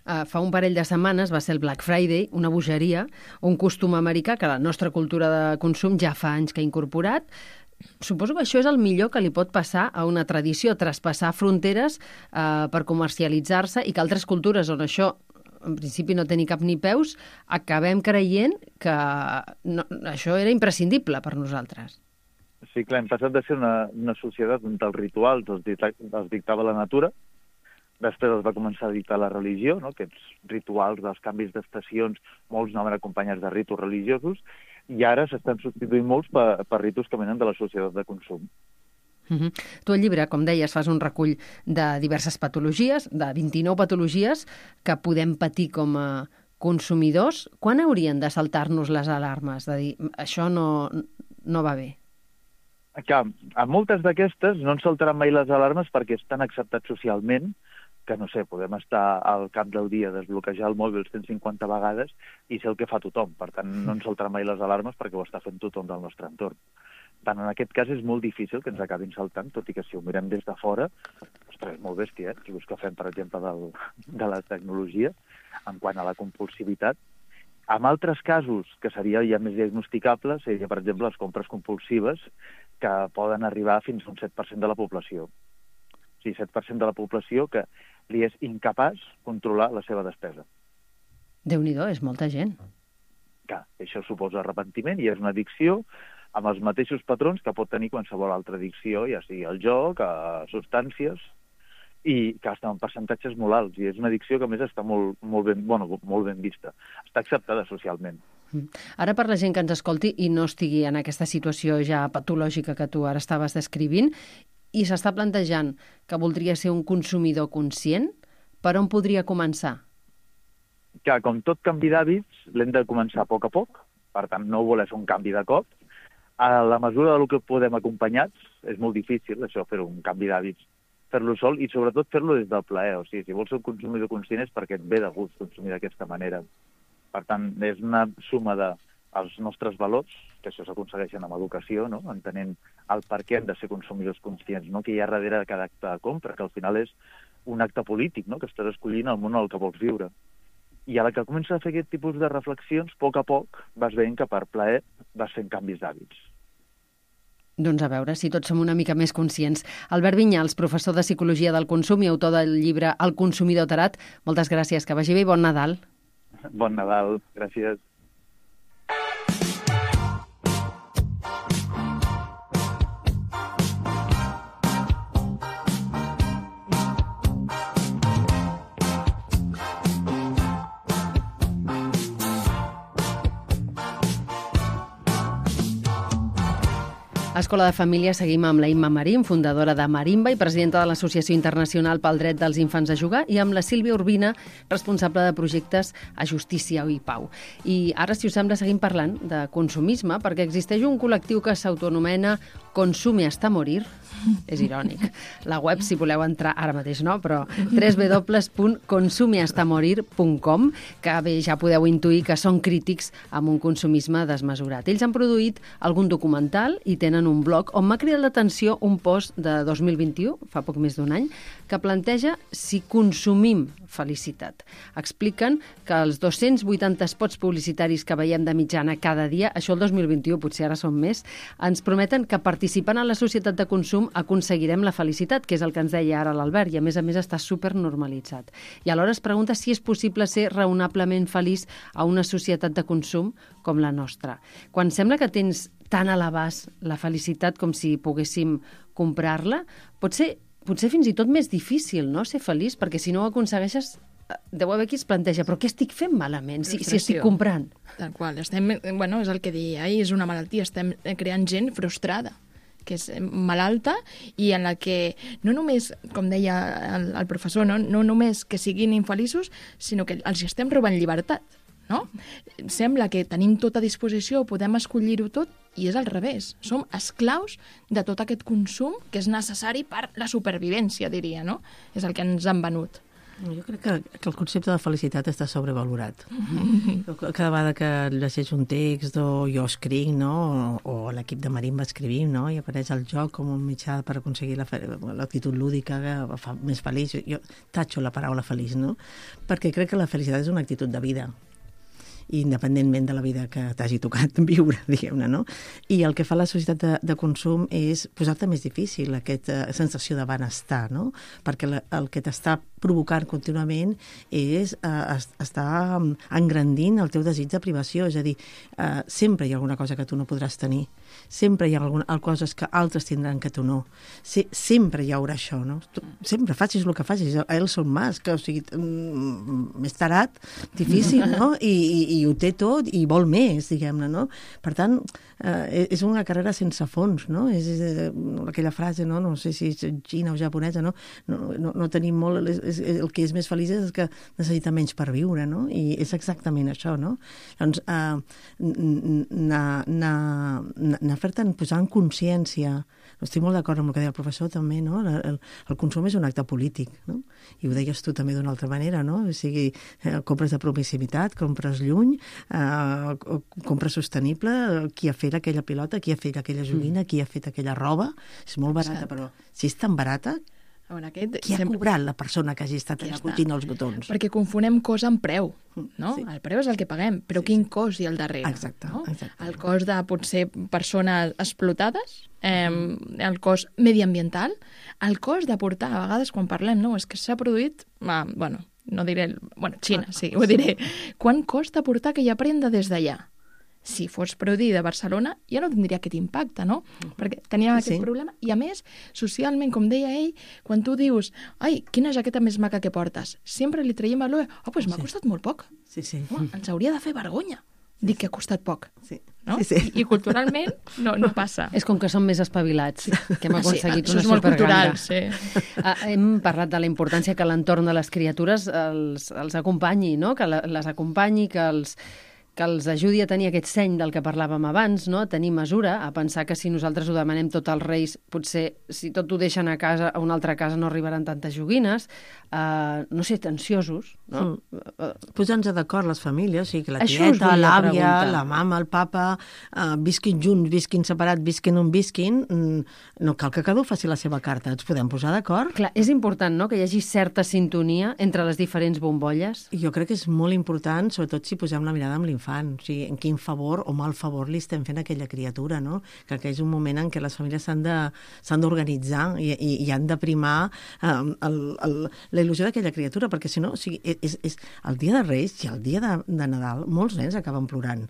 Fa un parell de setmanes va ser el Black Friday, una bogeria, un costum americà que la nostra cultura de consum ja fa anys que ha incorporat. Suposo que això és el millor que li pot passar a una tradició, traspassar fronteres per comercialitzar-se i que altres cultures on això en principi no té ni cap ni peus, acabem creient que això era imprescindible per nosaltres. Sí, clar, hem passat de ser una societat on els rituals els dictava la natura, després els va començar a dictar la religió, no? Aquests rituals dels canvis d'estacions, molts anaven acompanyats de ritus religiosos, i ara s'estan substituint molts per ritus que venen de la societat de consum. Tu al llibre, com deies, fas un recull de diverses patologies, de 29 patologies que podem patir com a consumidors. Quan haurien de saltar-nos les alarmes? De dir, això no va bé. Clar, a moltes d'aquestes no ens saltaran mai les alarmes perquè estan acceptats socialment, que no sé, podem estar al cap del dia, desbloquejar el mòbil 150 vegades i ser el que fa tothom. Per tant, no ens saltaran mai les alarmes perquè ho està fent tothom del nostre entorn. Tant en aquest cas és molt difícil que ens acabin saltant, tot i que si ho mirem des de fora, ostres, és molt bèstia, si busca fem, per exemple, de la tecnologia, en quant a la compulsivitat. En altres casos, que seria ja més diagnosticable, seria, per exemple, les compres compulsives, que poden arribar fins a un 7% de la població. O sigui, 7% de la població que li és incapaç controlar la seva despesa. Déu-n'hi-do, és molta gent. Clar, això suposa arrepentiment i és una addicció amb els mateixos patrons que pot tenir qualsevol altra addicció, ja sigui al joc, a substàncies, i que està en percentatges molt alts. I és una addicció que, a més, està molt ben vista. Està acceptada socialment. Ara, per la gent que ens escolti i no estigui en aquesta situació ja patològica que tu ara estaves descrivint, i s'està plantejant que voldria ser un consumidor conscient, per on podria començar? Que, com tot canvi d'hàbits, l'hem de començar a poc, per tant, no voler fer un canvi de cop. A la mesura del que podem acompanyats, és molt difícil, això, fer un canvi d'hàbits, fer-lo sol i, sobretot, fer-lo des del plaer. O sigui, si vols ser un consumidor conscient és perquè et ve de gust consumir d'aquesta manera. Per tant, és una suma dels nostres valors, que això s'aconsegueixen amb educació, no? Entenent el per què hem de ser consumidors conscients, no? Que hi ha darrere de cada acte de compra, que al final és un acte polític, no? Que estàs escollint el món en el que vols viure. I a la que comences a fer aquest tipus de reflexions, a poc vas veient que per plaer vas fent canvis d'hàbits. Doncs a veure si tots som una mica més conscients. Albert Vinyals, professor de Psicologia del Consum i autor del llibre El consumidor tarat, moltes gràcies, que vagi bé i bon Nadal. Bon Nadal, gràcies. A Escola de Família seguim amb la Imma Marín, fundadora de Marimba i presidenta de l'Associació Internacional pel Dret dels Infants a Jugar, i amb la Sílvia Urbina, responsable de projectes a Justícia i Pau. I ara, si us sembla, seguim parlant de consumisme, perquè existeix un col·lectiu que s'autoanomena Consume hasta morir. És irònic. La web, si voleu entrar, ara mateix no, però www.consumehastamorir.com, que bé, ja podeu intuir que són crítics amb un consumisme desmesurat. Ells han produït algun documental i tenen un blog on m'ha cridat l'atenció un post de 2021, fa poc més d'un any, que planteja si consumim felicitat. Expliquen que els 280 spots publicitaris que veiem de mitjana cada dia, això el 2021, potser ara són més, ens prometen que participant en la societat de consum aconseguirem la felicitat, que és el que ens deia ara l'Albert, i a més està supernormalitzat. I alhora es pregunta si és possible ser raonablement feliç a una societat de consum com la nostra. Quan sembla que tens tan a l'abast la felicitat com si poguéssim comprar-la, pot ser fins i tot més difícil, no?, ser feliç, perquè si no ho aconsegueixes, deu haver qui es planteja, però què estic fent malament si estic comprant? Tal qual. És el que deia ahir, és una malaltia. Estem creant gent frustrada, que és malalta i en la que no només, com deia el professor, no només que siguin infeliços, sinó que els estem robant llibertat. No? Sembla que tenim tot a disposició, podem escollir-ho tot, i és al revés. Som esclaus de tot aquest consum que és necessari per la supervivència, diria, no? És el que ens han venut. Jo crec que el concepte de felicitat està sobrevalorat. Cada vegada que llegeix un text o jo escric, no? O l'equip de Marimba escrivim, no? I apareix el joc com un mitjà per aconseguir l'actitud lúdica que fa més feliç. Jo tatxo la paraula feliç, no? Perquè crec que la felicitat és una actitud de vida, independentment de la vida que t'hagi tocat viure, diguem-ne, no? I el que fa la societat de consum és posar-te més difícil aquesta sensació de benestar, no? Perquè el que t'està provocant contínuament és estar engrandint el teu desig de privació, és a dir, sempre hi ha alguna cosa que tu no podràs tenir, sempre hi ha coses que altres tindran que tu no, sempre hi haurà això, no? Sempre facis el que facis, Elon Musk, o sigui, més tarat, difícil, no? I ho té tot i vol més, diguem-ne, no? Per tant, és una carrera sense fons, no? És aquella frase, no sé si és xina o japonesa, no tenim molt, el que és més feliç és el que necessita menys per viure, no? I és exactament això, no? Doncs anar fer-te'n posar en consciència, estic molt d'acord amb el que deia el professor també, no? El consum és un acte polític, no? I ho deies tu també d'una altra manera, no? O sigui, compres de proximitat, compres lluny, compres sostenible, qui ha fet aquella pilota, qui ha fet aquella joguina, qui ha fet aquella roba, és molt barata, però si és tan barata, qui ha cobrat la persona que hagi estat allà cotint els botons? Perquè confonem cost amb preu, no? Sí. El preu és el que paguem, però quin cost hi ha al darrere? Exacte, no? exacte. El cost de potser persones explotades, el cost mediambiental, el cost de portar, a vegades quan parlem, no, és que s'ha produït, no diré, Xina, sí, ho diré. Quant costa portar aquella prenda des d'allà? Si fos produïda a Barcelona, ja no tindria aquest impacte, no? Perquè teníem aquest problema. I a més, socialment, com deia ell, quan tu dius, ai, quina jaqueta més maca que portes, sempre li traiem valor, doncs m'ha costat molt poc. Sí. Ens hauria de fer vergonya dir que ha costat poc. Sí. No? Sí. I culturalment no passa. És com que som més espavilats, que hem aconseguit una superganda. Això és molt cultural, sí. Hem parlat de la importància que l'entorn de les criatures els acompanyi, no? Que les acompanyi, que els ajudi a tenir aquest seny del que parlàvem abans, no? A tenir mesura, a pensar que si nosaltres ho demanem tot als Reis, potser si tot ho deixen a casa, a una altra casa no arribaran tantes joguines, no ser ansiosos, no? Posar-nos d'acord les famílies, o sigui, que la tieta, l'àvia, la mama, el papa, visquin junts, visquin separats, visquin on visquin, no cal que cada un faci la seva carta, ens podem posar d'acord? Clar, és important, no?, que hi hagi certa sintonia entre les diferents bombolles. Jo crec que és molt important, sobretot si posem la mirada amb l'infant, o sigui, en quin favor o mal favor li estem fent a aquella criatura, no? Que és un moment en què les famílies s'han d'organitzar i han de primar la il·lusió d'aquella criatura, perquè si no, o sigui, és el dia de Reis i el dia de Nadal, molts nens acaben plorant,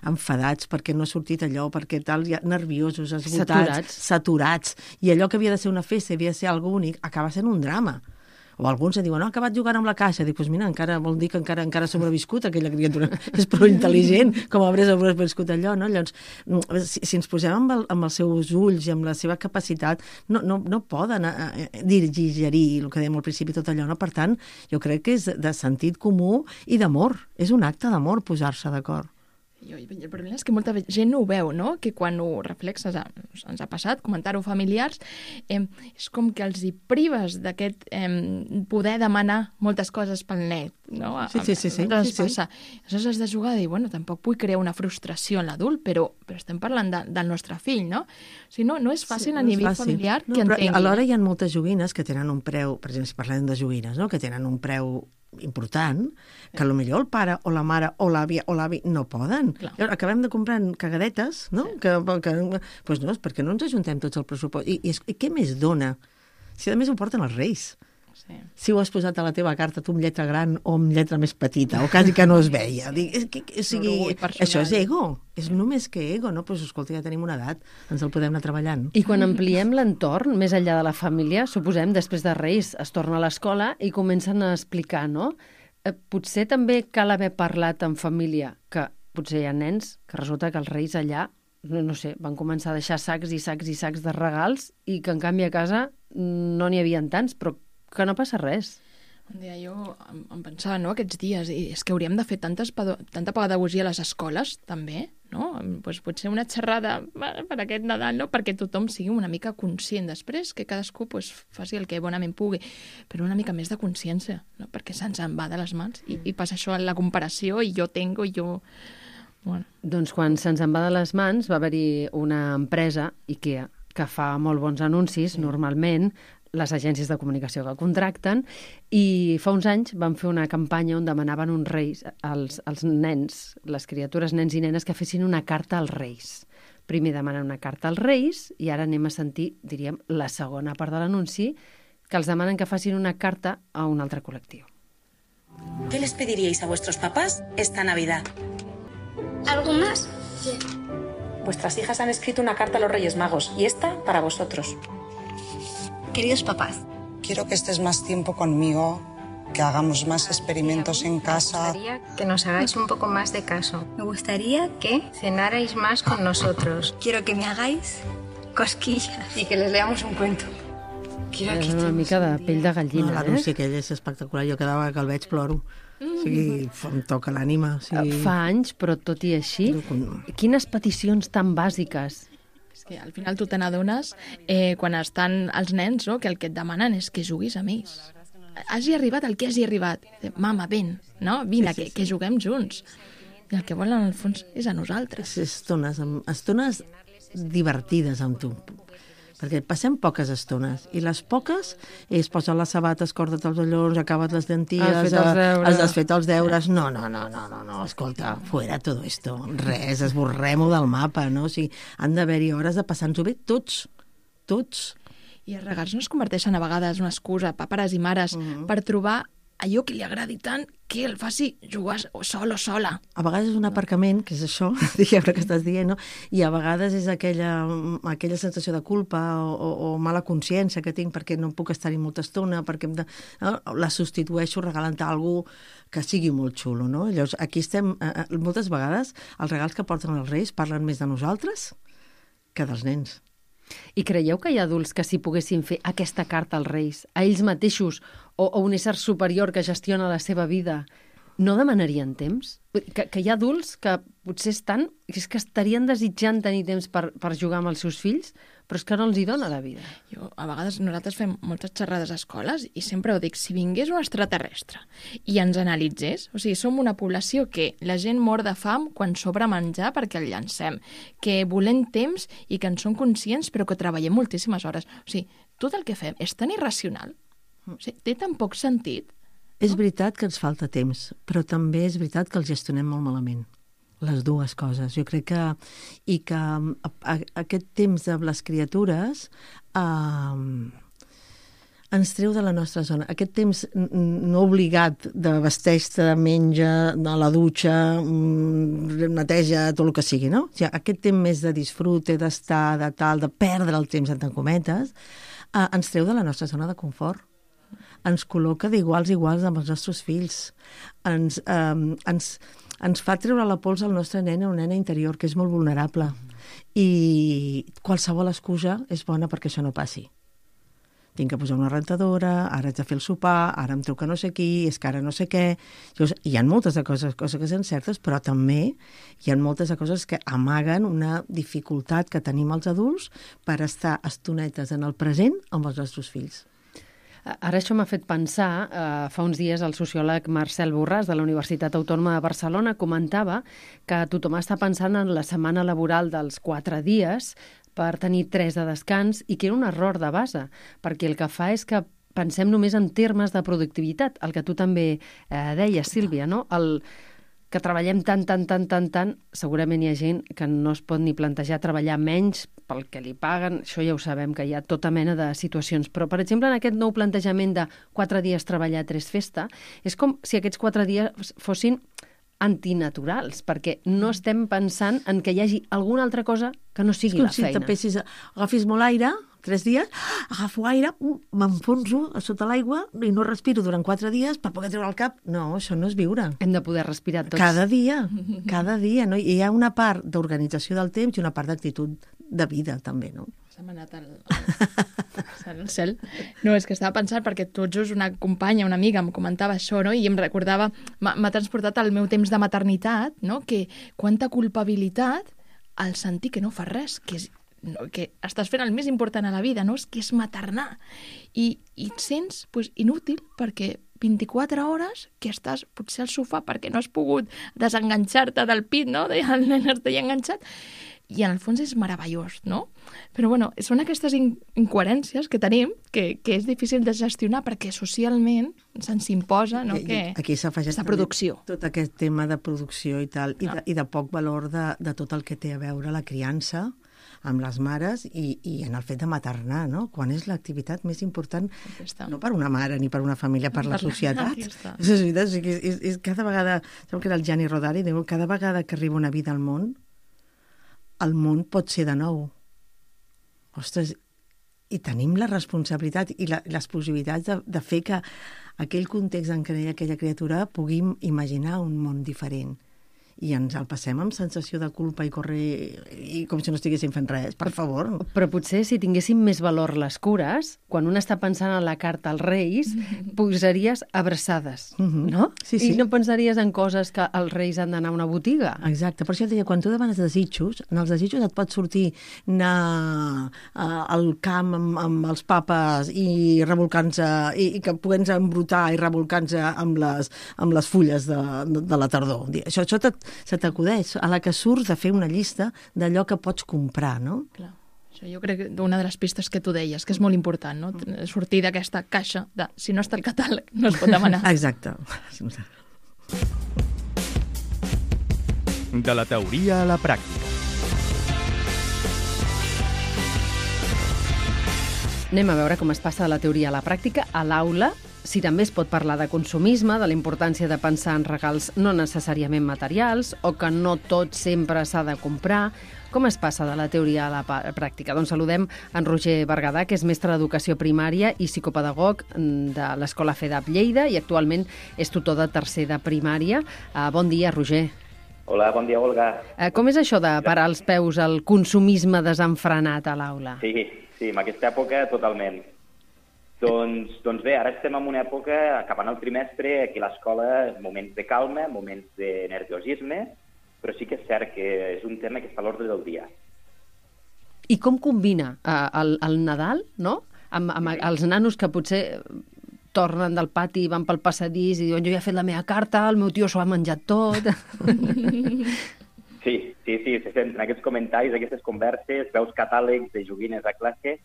enfadats perquè no ha sortit allò, perquè tal, ja nerviosos, esgotats, saturats, i allò que havia de ser una festa, havia de ser algo únic, acaba sent un drama. O alguns diuen, ha acabat jugant amb la caixa. Dic, doncs mira, encara vol dir que encara ha sobreviscut aquella criatura. És prou intel·ligent, com haurà sobreviscut allò, no? Llavors, si ens posem amb els seus ulls i amb la seva capacitat, no poden digerir el que dèiem al principi, tot allò, no? Per tant, jo crec que és de sentit comú i d'amor. És un acte d'amor posar-se d'acord. El problema és que molta gent no ho veu, no? Que quan ho reflexes, ens ha passat, comentar-ho familiars, és com que els hi prives d'aquest poder demanar moltes coses pel net, no? Sí. Passa. Aleshores has de jugar i dir, bueno, tampoc vull crear una frustració en l'adult, però estem parlant del nostre fill, no? O sigui, no és fàcil a nivell familiar que entengui. Alhora hi ha moltes joguines que tenen un preu, per exemple, si parlem de joguines, no? Que tenen un preu important, que potser el pare o la mare o l'àvia o l'avi no poden. Llavors, acabem de comprar cagadetes, no? Doncs no, perquè no ens ajuntem tots el pressupost. I què més dona? Si a més ho porten els Reis. Sí. Si ho has posat a la teva carta tu amb lletra gran o amb lletra més petita, o quasi que no es veia. Això és ego, és només que ego, no? Doncs escolta, ja tenim una edat, ens el podem anar treballant. I quan ampliem l'entorn, més enllà de la família, suposem, després de Reis, es torna a l'escola i comencen a explicar, no? Potser també cal haver parlat en família, que potser hi ha nens que resulta que els Reis allà, no sé, van començar a deixar sacs i sacs i sacs de regals i que en canvi a casa no n'hi havia tants, però que no passa res. Un dia jo em pensava, no, aquests dies, i és que hauríem de fer tanta pedagogia a les escoles, també, no? Pues potser una xerrada per aquest Nadal, no? Perquè tothom sigui una mica conscient. Després que cadascú faci el que bonament pugui, però una mica més de consciència, no? Perquè se'ns en va de les mans i passa això en la comparació i jo tengo i jo... Bueno. Doncs quan se'ns en va de les mans va haver-hi una empresa, IKEA, que fa molt bons anuncis, normalment, les agències de comunicació que contracten, i fa uns anys van fer una campanya on demanaven uns reis als nens, les criatures, nens i nenes, que fessin una carta als reis. Primer demanen una carta als reis i ara anem a sentir, diríem, la segona part de l'anunci, que els demanen que facin una carta a un altre col·lectiu. ¿Qué les pediríais a vuestros papás esta Navidad? ¿Algo más? Sí. Vuestras hijas han escrito una carta a los Reyes Magos y esta para vosotros. Queridos papás, quiero que estés más tiempo conmigo, que hagamos más experimentos en casa. Me gustaría que nos hagáis un poco más de caso. Me gustaría que cenarais más con nosotros. Quiero que me hagáis cosquillas y que les leamos un cuento. És una mica de pell de gallina, l'anunci aquell és espectacular. Jo cada vegada que el veig ploro. O sigui, em toca l'ànima. Fa anys, però tot i així, quines peticions tan bàsiques. És que al final tu te n'adones quan estan els nens, no? Que el que et demanen és que juguis amb ells. Hagi arribat el que hagi arribat. Mama, ven, no? Vine, que juguem junts. I el que volen, al fons, és a nosaltres. Estones divertides amb tu. Perquè passem poques estones, i les poques és posar les sabates, corda't els collons, acaba't les dentilles, has fet els deures... No, escolta, fuera todo esto, res, esborrem-ho del mapa, no? O sigui, han d'haver-hi hores de passar-nos-ho bé tots. I els regals no es converteixen a vegades una excusa, pares i mares, per trobar allò que li agradi tant que el faci jugar sol o sola. A vegades és un aparcament, que és això, diguem que estàs dient, no? I a vegades és aquella sensació de culpa o mala consciència que tinc perquè no puc estar-hi molta estona, perquè la substitueixo regalant a algú que sigui molt xulo, no? Llavors, aquí estem, moltes vegades, els regals que porten els Reis parlen més de nosaltres que dels nens. I creieu que hi ha adults que si poguessin fer aquesta carta als Reis, a ells mateixos, o un ésser superior que gestiona la seva vida, no demanarien temps? Que hi ha adults que potser és que estarien desitjant tenir temps per jugar amb els seus fills, però és que no els hi dona la vida. A vegades nosaltres fem moltes xerrades a escoles i sempre ho dic, si vingués un extraterrestre i ens analitzés, o sigui, som una població que la gent mor de fam quan sobra menjar perquè el llancem, que volem temps i que en som conscients però que treballem moltíssimes hores. O sigui, tot el que fem és tan irracional, o sigui, té tan poc sentit. És veritat que ens falta temps, però també és veritat que el gestionem molt malament. Les dues coses. Jo crec que aquest temps de les criatures ens treu de la nostra zona. Aquest temps no obligat de vesteix-te, de menja, de la dutxa, neteja, tot el que sigui, no? O sigui, aquest temps més de disfrute, d'estar, de perdre el temps, entre cometes, ens treu de la nostra zona de confort. ens col·loca d'iguals a iguals amb els nostres fills. Ens fa treure la pols al nostre nen o nena interior, que és molt vulnerable. I qualsevol excusa és bona perquè això no passi. Tinc que posar una rentadora, ara haig de fer el sopar, ara em truca no sé qui, és que ara no sé què... Hi ha moltes de coses que són certes, però també hi ha moltes de coses que amaguen una dificultat que tenim els adults per estar estonetes en el present amb els nostres fills. Ara això m'ha fet pensar, fa uns dies el sociòleg Marcel Borràs de la Universitat Autònoma de Barcelona comentava que tothom està pensant en la setmana laboral dels 4 dies per tenir 3 de descans i que era un error de base, perquè el que fa és que pensem només en termes de productivitat, el que tu també deies, Sílvia, no? Que treballem tant, segurament hi ha gent que no es pot ni plantejar treballar menys pel que li paguen, això ja ho sabem, que hi ha tota mena de situacions. Però, per exemple, en aquest nou plantejament de 4 dies treballar, 3 festa, és com si aquests 4 dies fossin antinaturals, perquè no estem pensant en que hi hagi alguna altra cosa que no sigui la feina. És com si agafis molt aire, 3 dies, agafo aire, m'enfonso a sota l'aigua i no respiro durant 4 dies per poder treure el cap. No, això no és viure. Hem de poder respirar tots. Cada dia, no? I hi ha una part d'organització del temps i una part d'actitud de vida, també, no? Se m'ha anat al cel. No, és que estava pensant perquè tot just una companya, una amiga, em comentava això, no? I em recordava, m'ha transportat al meu temps de maternitat, no? Que quanta culpabilitat al sentir que no fas res, que estàs fent el més important a la vida, no? És que és maternar. I et sents inútil perquè 24 hores que estàs potser al sofà perquè no has pogut desenganxar-te del pit, no? El nen està enganxat. I en el fons és meravellós, no? Però bueno, són aquestes incoherències que tenim que és difícil de gestionar perquè socialment se'ns imposa, no? Que aquí s'afegeix la producció. Tot aquest tema de producció i tal, i de poc valor de tot el que té a veure la criança amb les mares i en el fet de maternar, no? Quan és l'activitat més important, no per una mare ni per una família, per la societat. És cada vegada, sembla que era el Gianni Rodari, diu, cada vegada que arriba una vida al món, el món pot ser de nou. Ostres, i tenim la responsabilitat i les possibilitats de fer que aquell context en què hi ha aquella criatura puguem imaginar un món diferent. I ens el passem amb sensació de culpa i i com si no estiguéssim fent res, per favor. Però potser si tinguéssim més valor les cures, quan un està pensant en la carta als Reis, posaries abraçades, no? Sí. I no pensaries en coses que els Reis han d'anar a una botiga. Exacte, per això et deia, quan tu demanes desitjos, en els desitjos et pot sortir anar al camp amb els papes i revolcant-se, i que puguem embrutar i revolcant-se amb les fulles de la tardor. Això se t'acudeix a la que surts de fer una llista d'allò que pots comprar, no? Clar. Això jo crec que una de les pistes que tu deies, que és molt important, no? Sortir d'aquesta caixa de si no està el catàleg no es pot demanar. Exacte. De la teoria a la pràctica. Anem a veure com es passa de la teoria a la pràctica a l'aula. Si també es pot parlar de consumisme, de la importància de pensar en regals no necessàriament materials o que no tot sempre s'ha de comprar. Com es passa de la teoria a la pràctica? Doncs saludem en Roger Berguedà, que és mestre d'Educació Primària i psicopedagog de l'Escola FEDAP Lleida i actualment és tutor de tercer de primària. Bon dia, Roger. Hola, bon dia, Olga. Com és això de parar els peus al consumisme desenfrenat a l'aula? Sí, en aquesta època totalment. Doncs bé, ara estem en una època, acabant el trimestre, aquí a l'escola, moments de calma, moments de nerviosisme, però sí que és cert que és un tema que està a l'ordre del dia. I com combina el Nadal, no?, amb els nanos que potser tornen del pati i van pel passadís i diuen jo ja he fet la meva carta, el meu tio s'ho ha menjat tot... Sí, en aquests comentaris, aquestes converses, veus catàlegs de joguines a classe.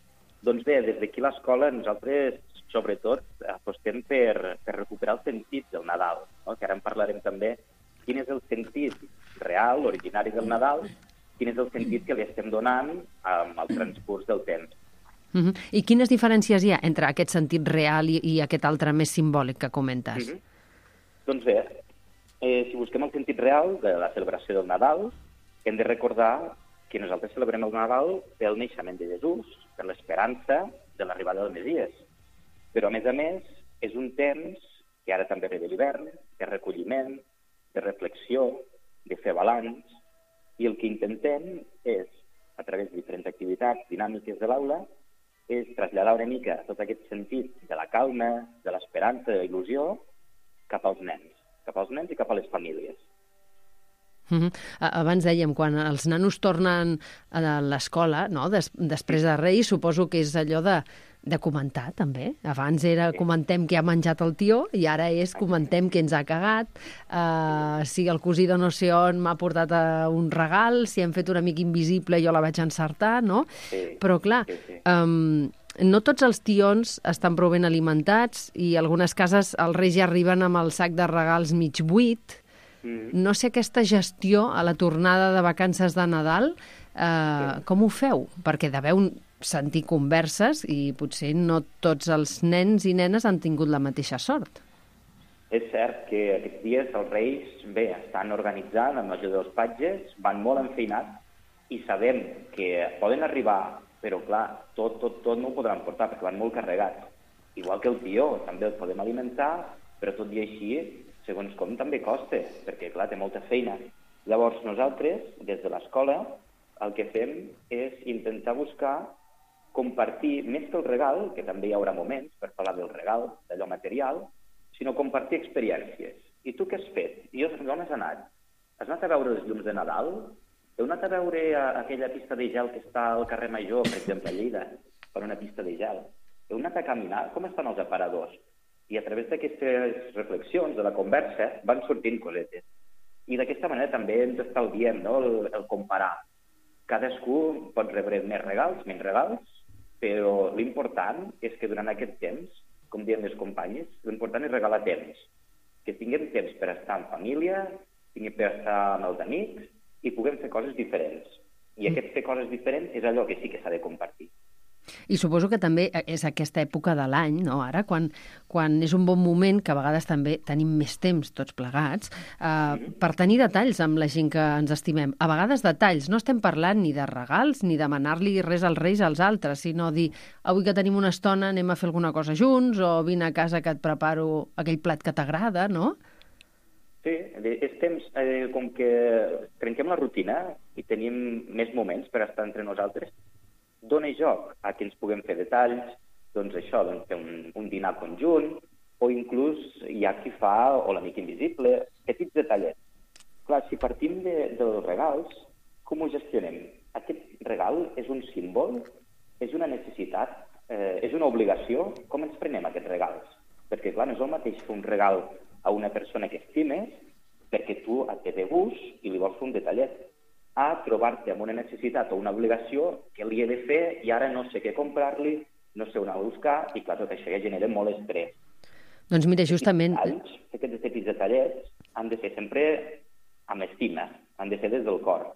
Doncs bé, des d'aquí a l'escola nosaltres, sobretot, apostem per recuperar el sentit del Nadal, no? Que ara en parlarem també. Quin és el sentit real, originari del Nadal, quin és el sentit que li estem donant amb el transcurs del temps. I quines diferències hi ha entre aquest sentit real i aquest altre més simbòlic que comentes? Doncs bé, si busquem el sentit real de la celebració del Nadal, hem de recordar que nosaltres celebrem el Nadal pel naixement de Jesús, per l'esperança de l'arribada del Messies. Però, a més, és un temps que ara també ve de l'hivern, de recolliment, de reflexió, de fer balanç, i el que intentem és, a través de diferents activitats dinàmiques de l'aula, és traslladar una mica tot aquest sentit de la calma, de l'esperança, de la il·lusió, cap als nens i cap a les famílies. Abans dèiem, quan els nanos tornen a l'escola, no? Després de Reis, suposo que és allò de comentar, també. Abans era comentem què ha menjat el tió i ara és comentem què ens ha cagat, si el cosí de no sé on m'ha portat un regal, si hem fet un amic invisible i jo la vaig encertar, no? Però, clar, no tots els tions estan prou ben alimentats i en algunes cases els Reis ja arriben amb el sac de regals mig buit. No sé aquesta gestió a la tornada de vacances de Nadal, com ho feu? Perquè deveu sentir converses i potser no tots els nens i nenes han tingut la mateixa sort. És cert que aquests dies els Reis estan organitzant el major dels patges, van molt enfeinats i sabem que poden arribar, però clar, tot no ho podran portar perquè van molt carregats. Igual que el tió, també el podem alimentar, però tot i així, segons com, també costa, perquè, clar, té molta feina. Llavors, nosaltres, des de l'escola, el que fem és intentar buscar compartir, més que el regal, que també hi haurà moments per parlar del regal, d'allò material, sinó compartir experiències. I tu què has fet? I on has anat? Has anat a veure els llums de Nadal? Heu anat a veure aquella pista de gel que està al carrer Major, per exemple, a Lleida, per una pista de gel? Heu anat a caminar? Com estan els aparadors? I a través d'aquestes reflexions, de la conversa, van sortint cosetes. I d'aquesta manera també ens estalviem, no?, el comparar. Cadascú pot rebre més regals, menys regals, però l'important és que durant aquest temps, com diuen les companyes, l'important és regalar temps. Que tinguem temps per estar en família, tinguem per estar amb els amics i puguem fer coses diferents. I aquest fer coses diferents és allò que sí que s'ha de compartir. I suposo que també és aquesta època de l'any, no?, ara, quan és un bon moment, que a vegades també tenim més temps tots plegats, per tenir detalls amb la gent que ens estimem. A vegades detalls, no estem parlant ni de regals, ni demanar-li res als Reis als altres, sinó dir, avui que tenim una estona anem a fer alguna cosa junts, o vine a casa que et preparo aquell plat que t'agrada, no? Sí, és temps, com que trenquem la rutina i tenim més moments per estar entre nosaltres, dona joc a que ens puguem fer detalls, doncs això, fer un dinar conjunt, o inclús hi ha qui fa, o l'amic invisible, petits detallets. Clar, si partim dels regals, com ho gestionem? Aquest regal és un símbol, és una necessitat, és una obligació? Com ens prenem aquests regals? Perquè, clar, no és el mateix fer un regal a una persona que estimes perquè tu et ve de gust i li vols fer un detallet, a trobar-te amb una necessitat o una obligació que li he de fer i ara no sé què comprar-li, no sé on anar a buscar, i clar, tot això ja genera molt estrès. Doncs mira, justament... Aquests petits detallets han de ser sempre amb estima, han de ser des del cor.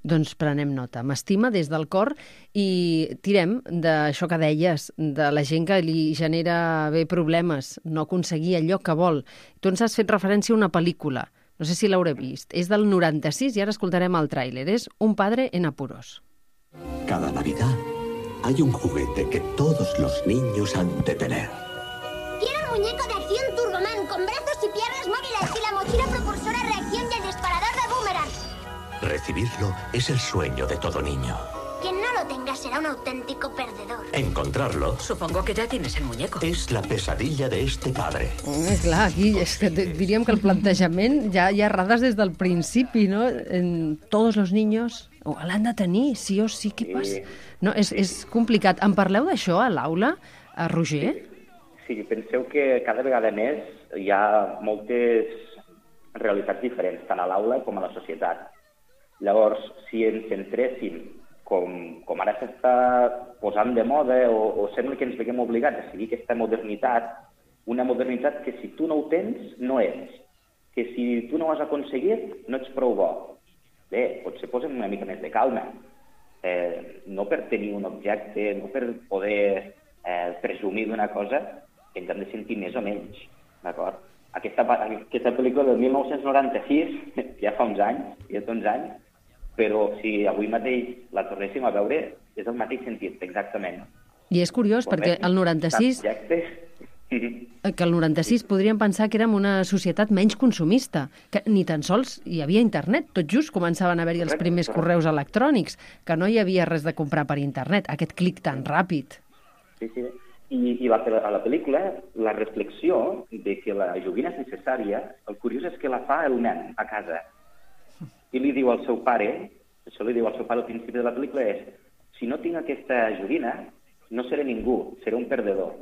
Doncs prenem nota. M'estima des del cor i tirem d'això que deies, de la gent que li genera problemes, no aconseguir allò que vol. Tu ens has fet referència a una pel·lícula. No sé si l'hauré vist. És del 96 i ara escoltarem el tràiler. És Un padre en apuros. Cada Navidad hay un juguete que todos los niños han de tener. Quiero el muñeco de acción Turboman con brazos y piernas móviles y la mochila propulsora reacción y el disparador de boomerang. Recibirlo es el sueño de todo niño. Quien no lo tenga será un auténtico perdedor. Encontrarlo... Supongo que ya tienes el muñeco. Es la pesadilla de este padre. Clar, aquí és que diríem que el plantejament ja errades des del principi, no? Tots els niños l'han de tenir, sí o sí, què passa? No, és complicat. En parleu d'això a l'aula, a Roger? Sí, penseu que cada vegada més hi ha moltes realitats diferents, tant a l'aula com a la societat. Llavors, si ens centréssim com ara s'està posant de moda o sembla que ens veiem obligats a seguir aquesta modernitat, una modernitat que si tu no ho tens, no ets. Que si tu no ho has aconseguit, no ets prou bo. Bé, potser posem una mica més de calma. No per tenir un objecte, no per poder presumir d'una cosa, ens hem de sentir més o menys. D'acord? Aquesta pel·lícula del 1996, ja fa uns anys, però si avui mateix la tornéssim a veure, és el mateix sentit, exactament. I és curiós perquè el 96... que el 96 podríem pensar que érem una societat menys consumista, que ni tan sols hi havia internet. Tot just començaven a haver-hi els primers correus electrònics, que no hi havia res de comprar per internet, aquest clic tan ràpid. Sí, sí. I a la pel·lícula, la reflexió de que la joguina és necessària, el curiós és que la fa el nen a casa. I li diu al seu pare, això li diu al seu pare al principi de la pel·lícula, és: si no tinc aquesta joguina, no seré ningú, seré un perdedor.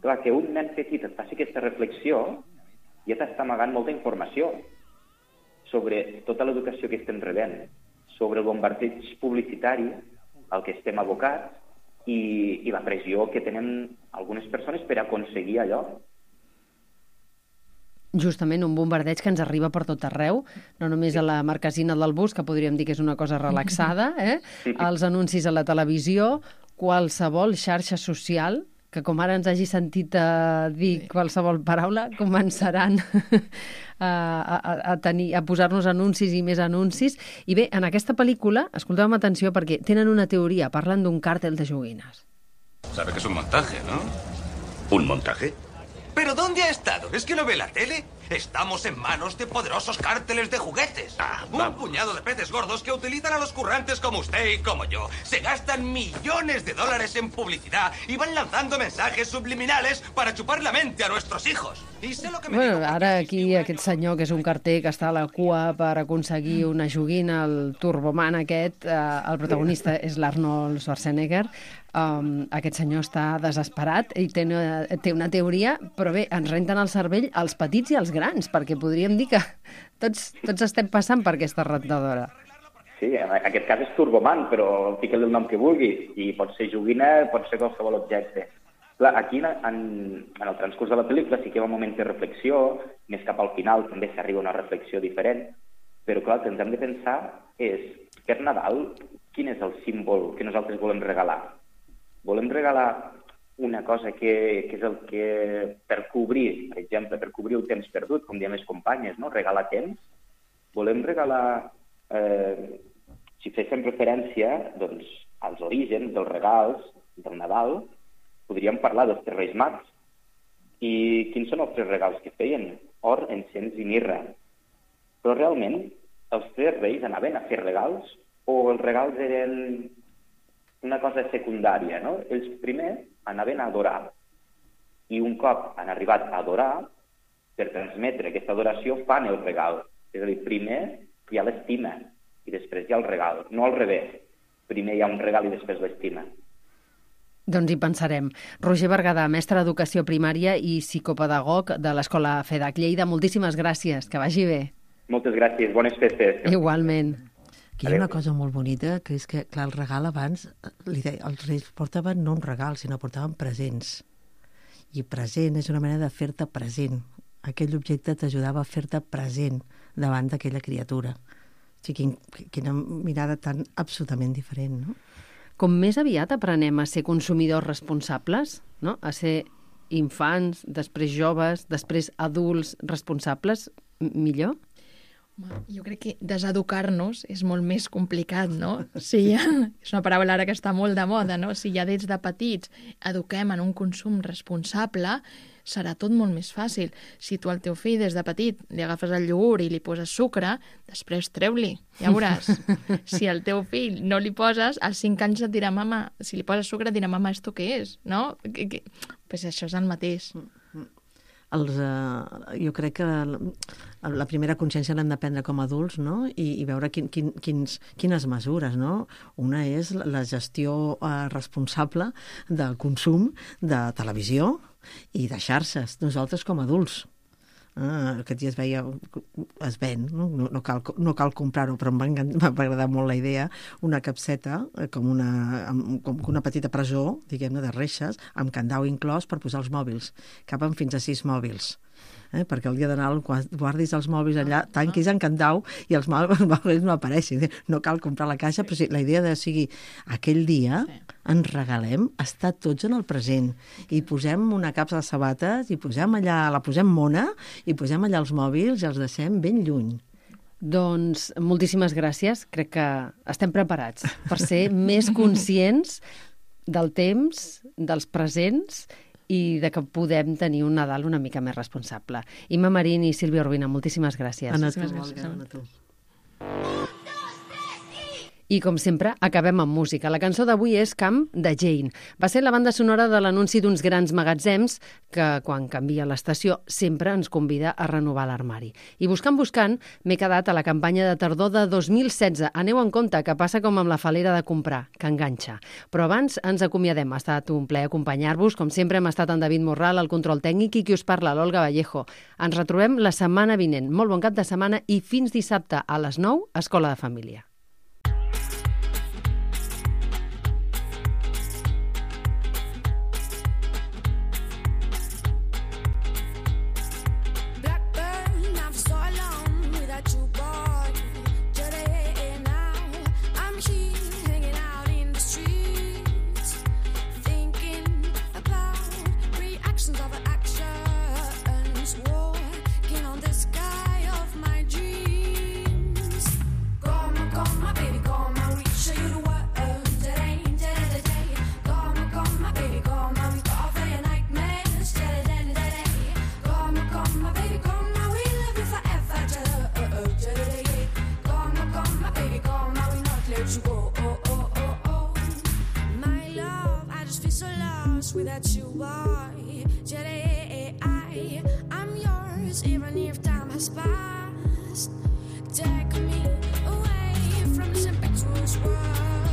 Clar, que un nen petit et faci aquesta reflexió ja t'està amagant molta informació sobre tota l'educació que estem rebent, sobre el bombardeig publicitari al que estem abocats i la pressió que tenen algunes persones per aconseguir allò. Justament un bombardeig que ens arriba per tot arreu, no només a la marquesina del bus, que podríem dir que és una cosa relaxada, els anuncis a la televisió, qualsevol xarxa social, que com ara ens hagi sentit dir qualsevol paraula, començaran a posar-nos anuncis i més anuncis. I bé, en aquesta pel·lícula, escolteu amb atenció perquè tenen una teoria, parlen d'un càrtel de joguines. Sabe que es un montaje, ¿no? ¿Un montaje? ¿Pero dónde ha estado? ¿Es que no ve la tele? Estamos en manos de poderosos cárteles de juguetes. Un puñado de peces gordos que utilizan a los currantes como usted y como yo. Se gastan millones de dólares en publicidad y van lanzando mensajes subliminales para chupar la mente a nuestros hijos. Y sé lo que me digo. Ara aquí aquest senyor, que és un carter que està a la cua per aconseguir una joguina, el Turboman aquest, el protagonista és l'Arnold Schwarzenegger. Aquest senyor està desesperat i té una teoria, però bé, ens renten el cervell als petits i als grans, perquè podríem dir que tots estem passant per aquesta rentadora. Sí, en aquest cas és Turboman, però fica-li el nom que vulguis, i pot ser joguina, pot ser qualsevol objecte. Clar, aquí en el transcurs de la pel·lícula sí que hi ha un moment de reflexió, més cap al final també s'arriba a una reflexió diferent, però clar, el que ens hem de pensar és, per Nadal, quin és el símbol que nosaltres volem regalar? Volem regalar una cosa que és el que, per cobrir, per exemple, per cobrir el temps perdut, com diem les companyes, no? Regalar temps. Volem regalar, si féssim referència doncs, als orígens dels regals del Nadal, podríem parlar dels tres Reis Mags. I quins són els tres regals que feien? Or, encens i mirra. Però realment, els tres reis anaven a fer regals o els regals eren una cosa secundària, no? Ells primer anaven a adorar i un cop han arribat a adorar, per transmetre aquesta adoració fan el regal. És a dir, primer hi ha l'estima i després hi ha el regal, no al revés. Primer hi ha un regal i després l'estima. Doncs hi pensarem. Roger Berguedà, mestre d'Educació Primària i psicopedagog de l'Escola FEDAC Lleida, moltíssimes gràcies, que vagi bé. Moltes gràcies, bones festes. Igualment. Aquí hi ha una cosa molt bonita, que és que, clar, el regal abans, els reis portaven no un regal, sinó portaven presents. I present és una manera de fer-te present. Aquell objecte t'ajudava a fer-te present davant d'aquella criatura. O sigui, quina mirada tan absolutament diferent, no? Com més aviat aprenem a ser consumidors responsables, no? A ser infants, després joves, després adults responsables, millor? Jo crec que deseducar-nos és molt més complicat, no? Si ja, és una paraula ara que està molt de moda, no? Si ja des de petits eduquem en un consum responsable, serà tot molt més fàcil. Si tu al teu fill des de petit li agafes el iogurt i li poses sucre, després treu-li, ja veuràs. Si al teu fill no li poses, als 5 anys et dirà mama, si li poses sucre dirà mama, ¿esto qué és? No? Pues això és el mateix. Jo crec que la primera consciència l'hem de prendre com a adults, no? I veure quines mesures, no? Una és la gestió responsable del consum de televisió i de xarxes, nosaltres com a adults. Aquest dia es ven, no cal comprar-ho, però m'ha agradat molt la idea, una capseta com una petita presó, diguem-ne, de reixes, amb candau inclòs per posar els mòbils. Caben fins a 6 mòbils. Perquè el dia de Nadal guardis els mòbils allà, tanquis en candau i els mòbils no apareixin. No cal comprar la caixa, però sí, la idea de sigui aquell dia ens regalem estar tots en el present i posem una capsa de sabates i posem allà, la posem mona i posem allà els mòbils i els deixem ben lluny. Doncs moltíssimes gràcies. Crec que estem preparats per ser més conscients del temps, dels presents i de que podem tenir un Nadal una mica més responsable. Imma Marín i Sílvia Urbina, moltíssimes gràcies. A tu. I, com sempre, acabem amb música. La cançó d'avui és Camp de Jane. Va ser la banda sonora de l'anunci d'uns grans magatzems que, quan canvia l'estació, sempre ens convida a renovar l'armari. I buscant, m'he quedat a la campanya de tardor de 2016. Aneu en compte, que passa com amb la falera de comprar, que enganxa. Però abans ens acomiadem. Ha estat un plaer acompanyar-vos. Com sempre, hem estat en David Morral, el control tècnic, i qui us parla, l'Olga Vallejo. Ens retrobem la setmana vinent. Molt bon cap de setmana i fins dissabte a les 9, Escola de Família. Without you, boy, I'm yours, even if time has passed. Take me away from this impetuous world.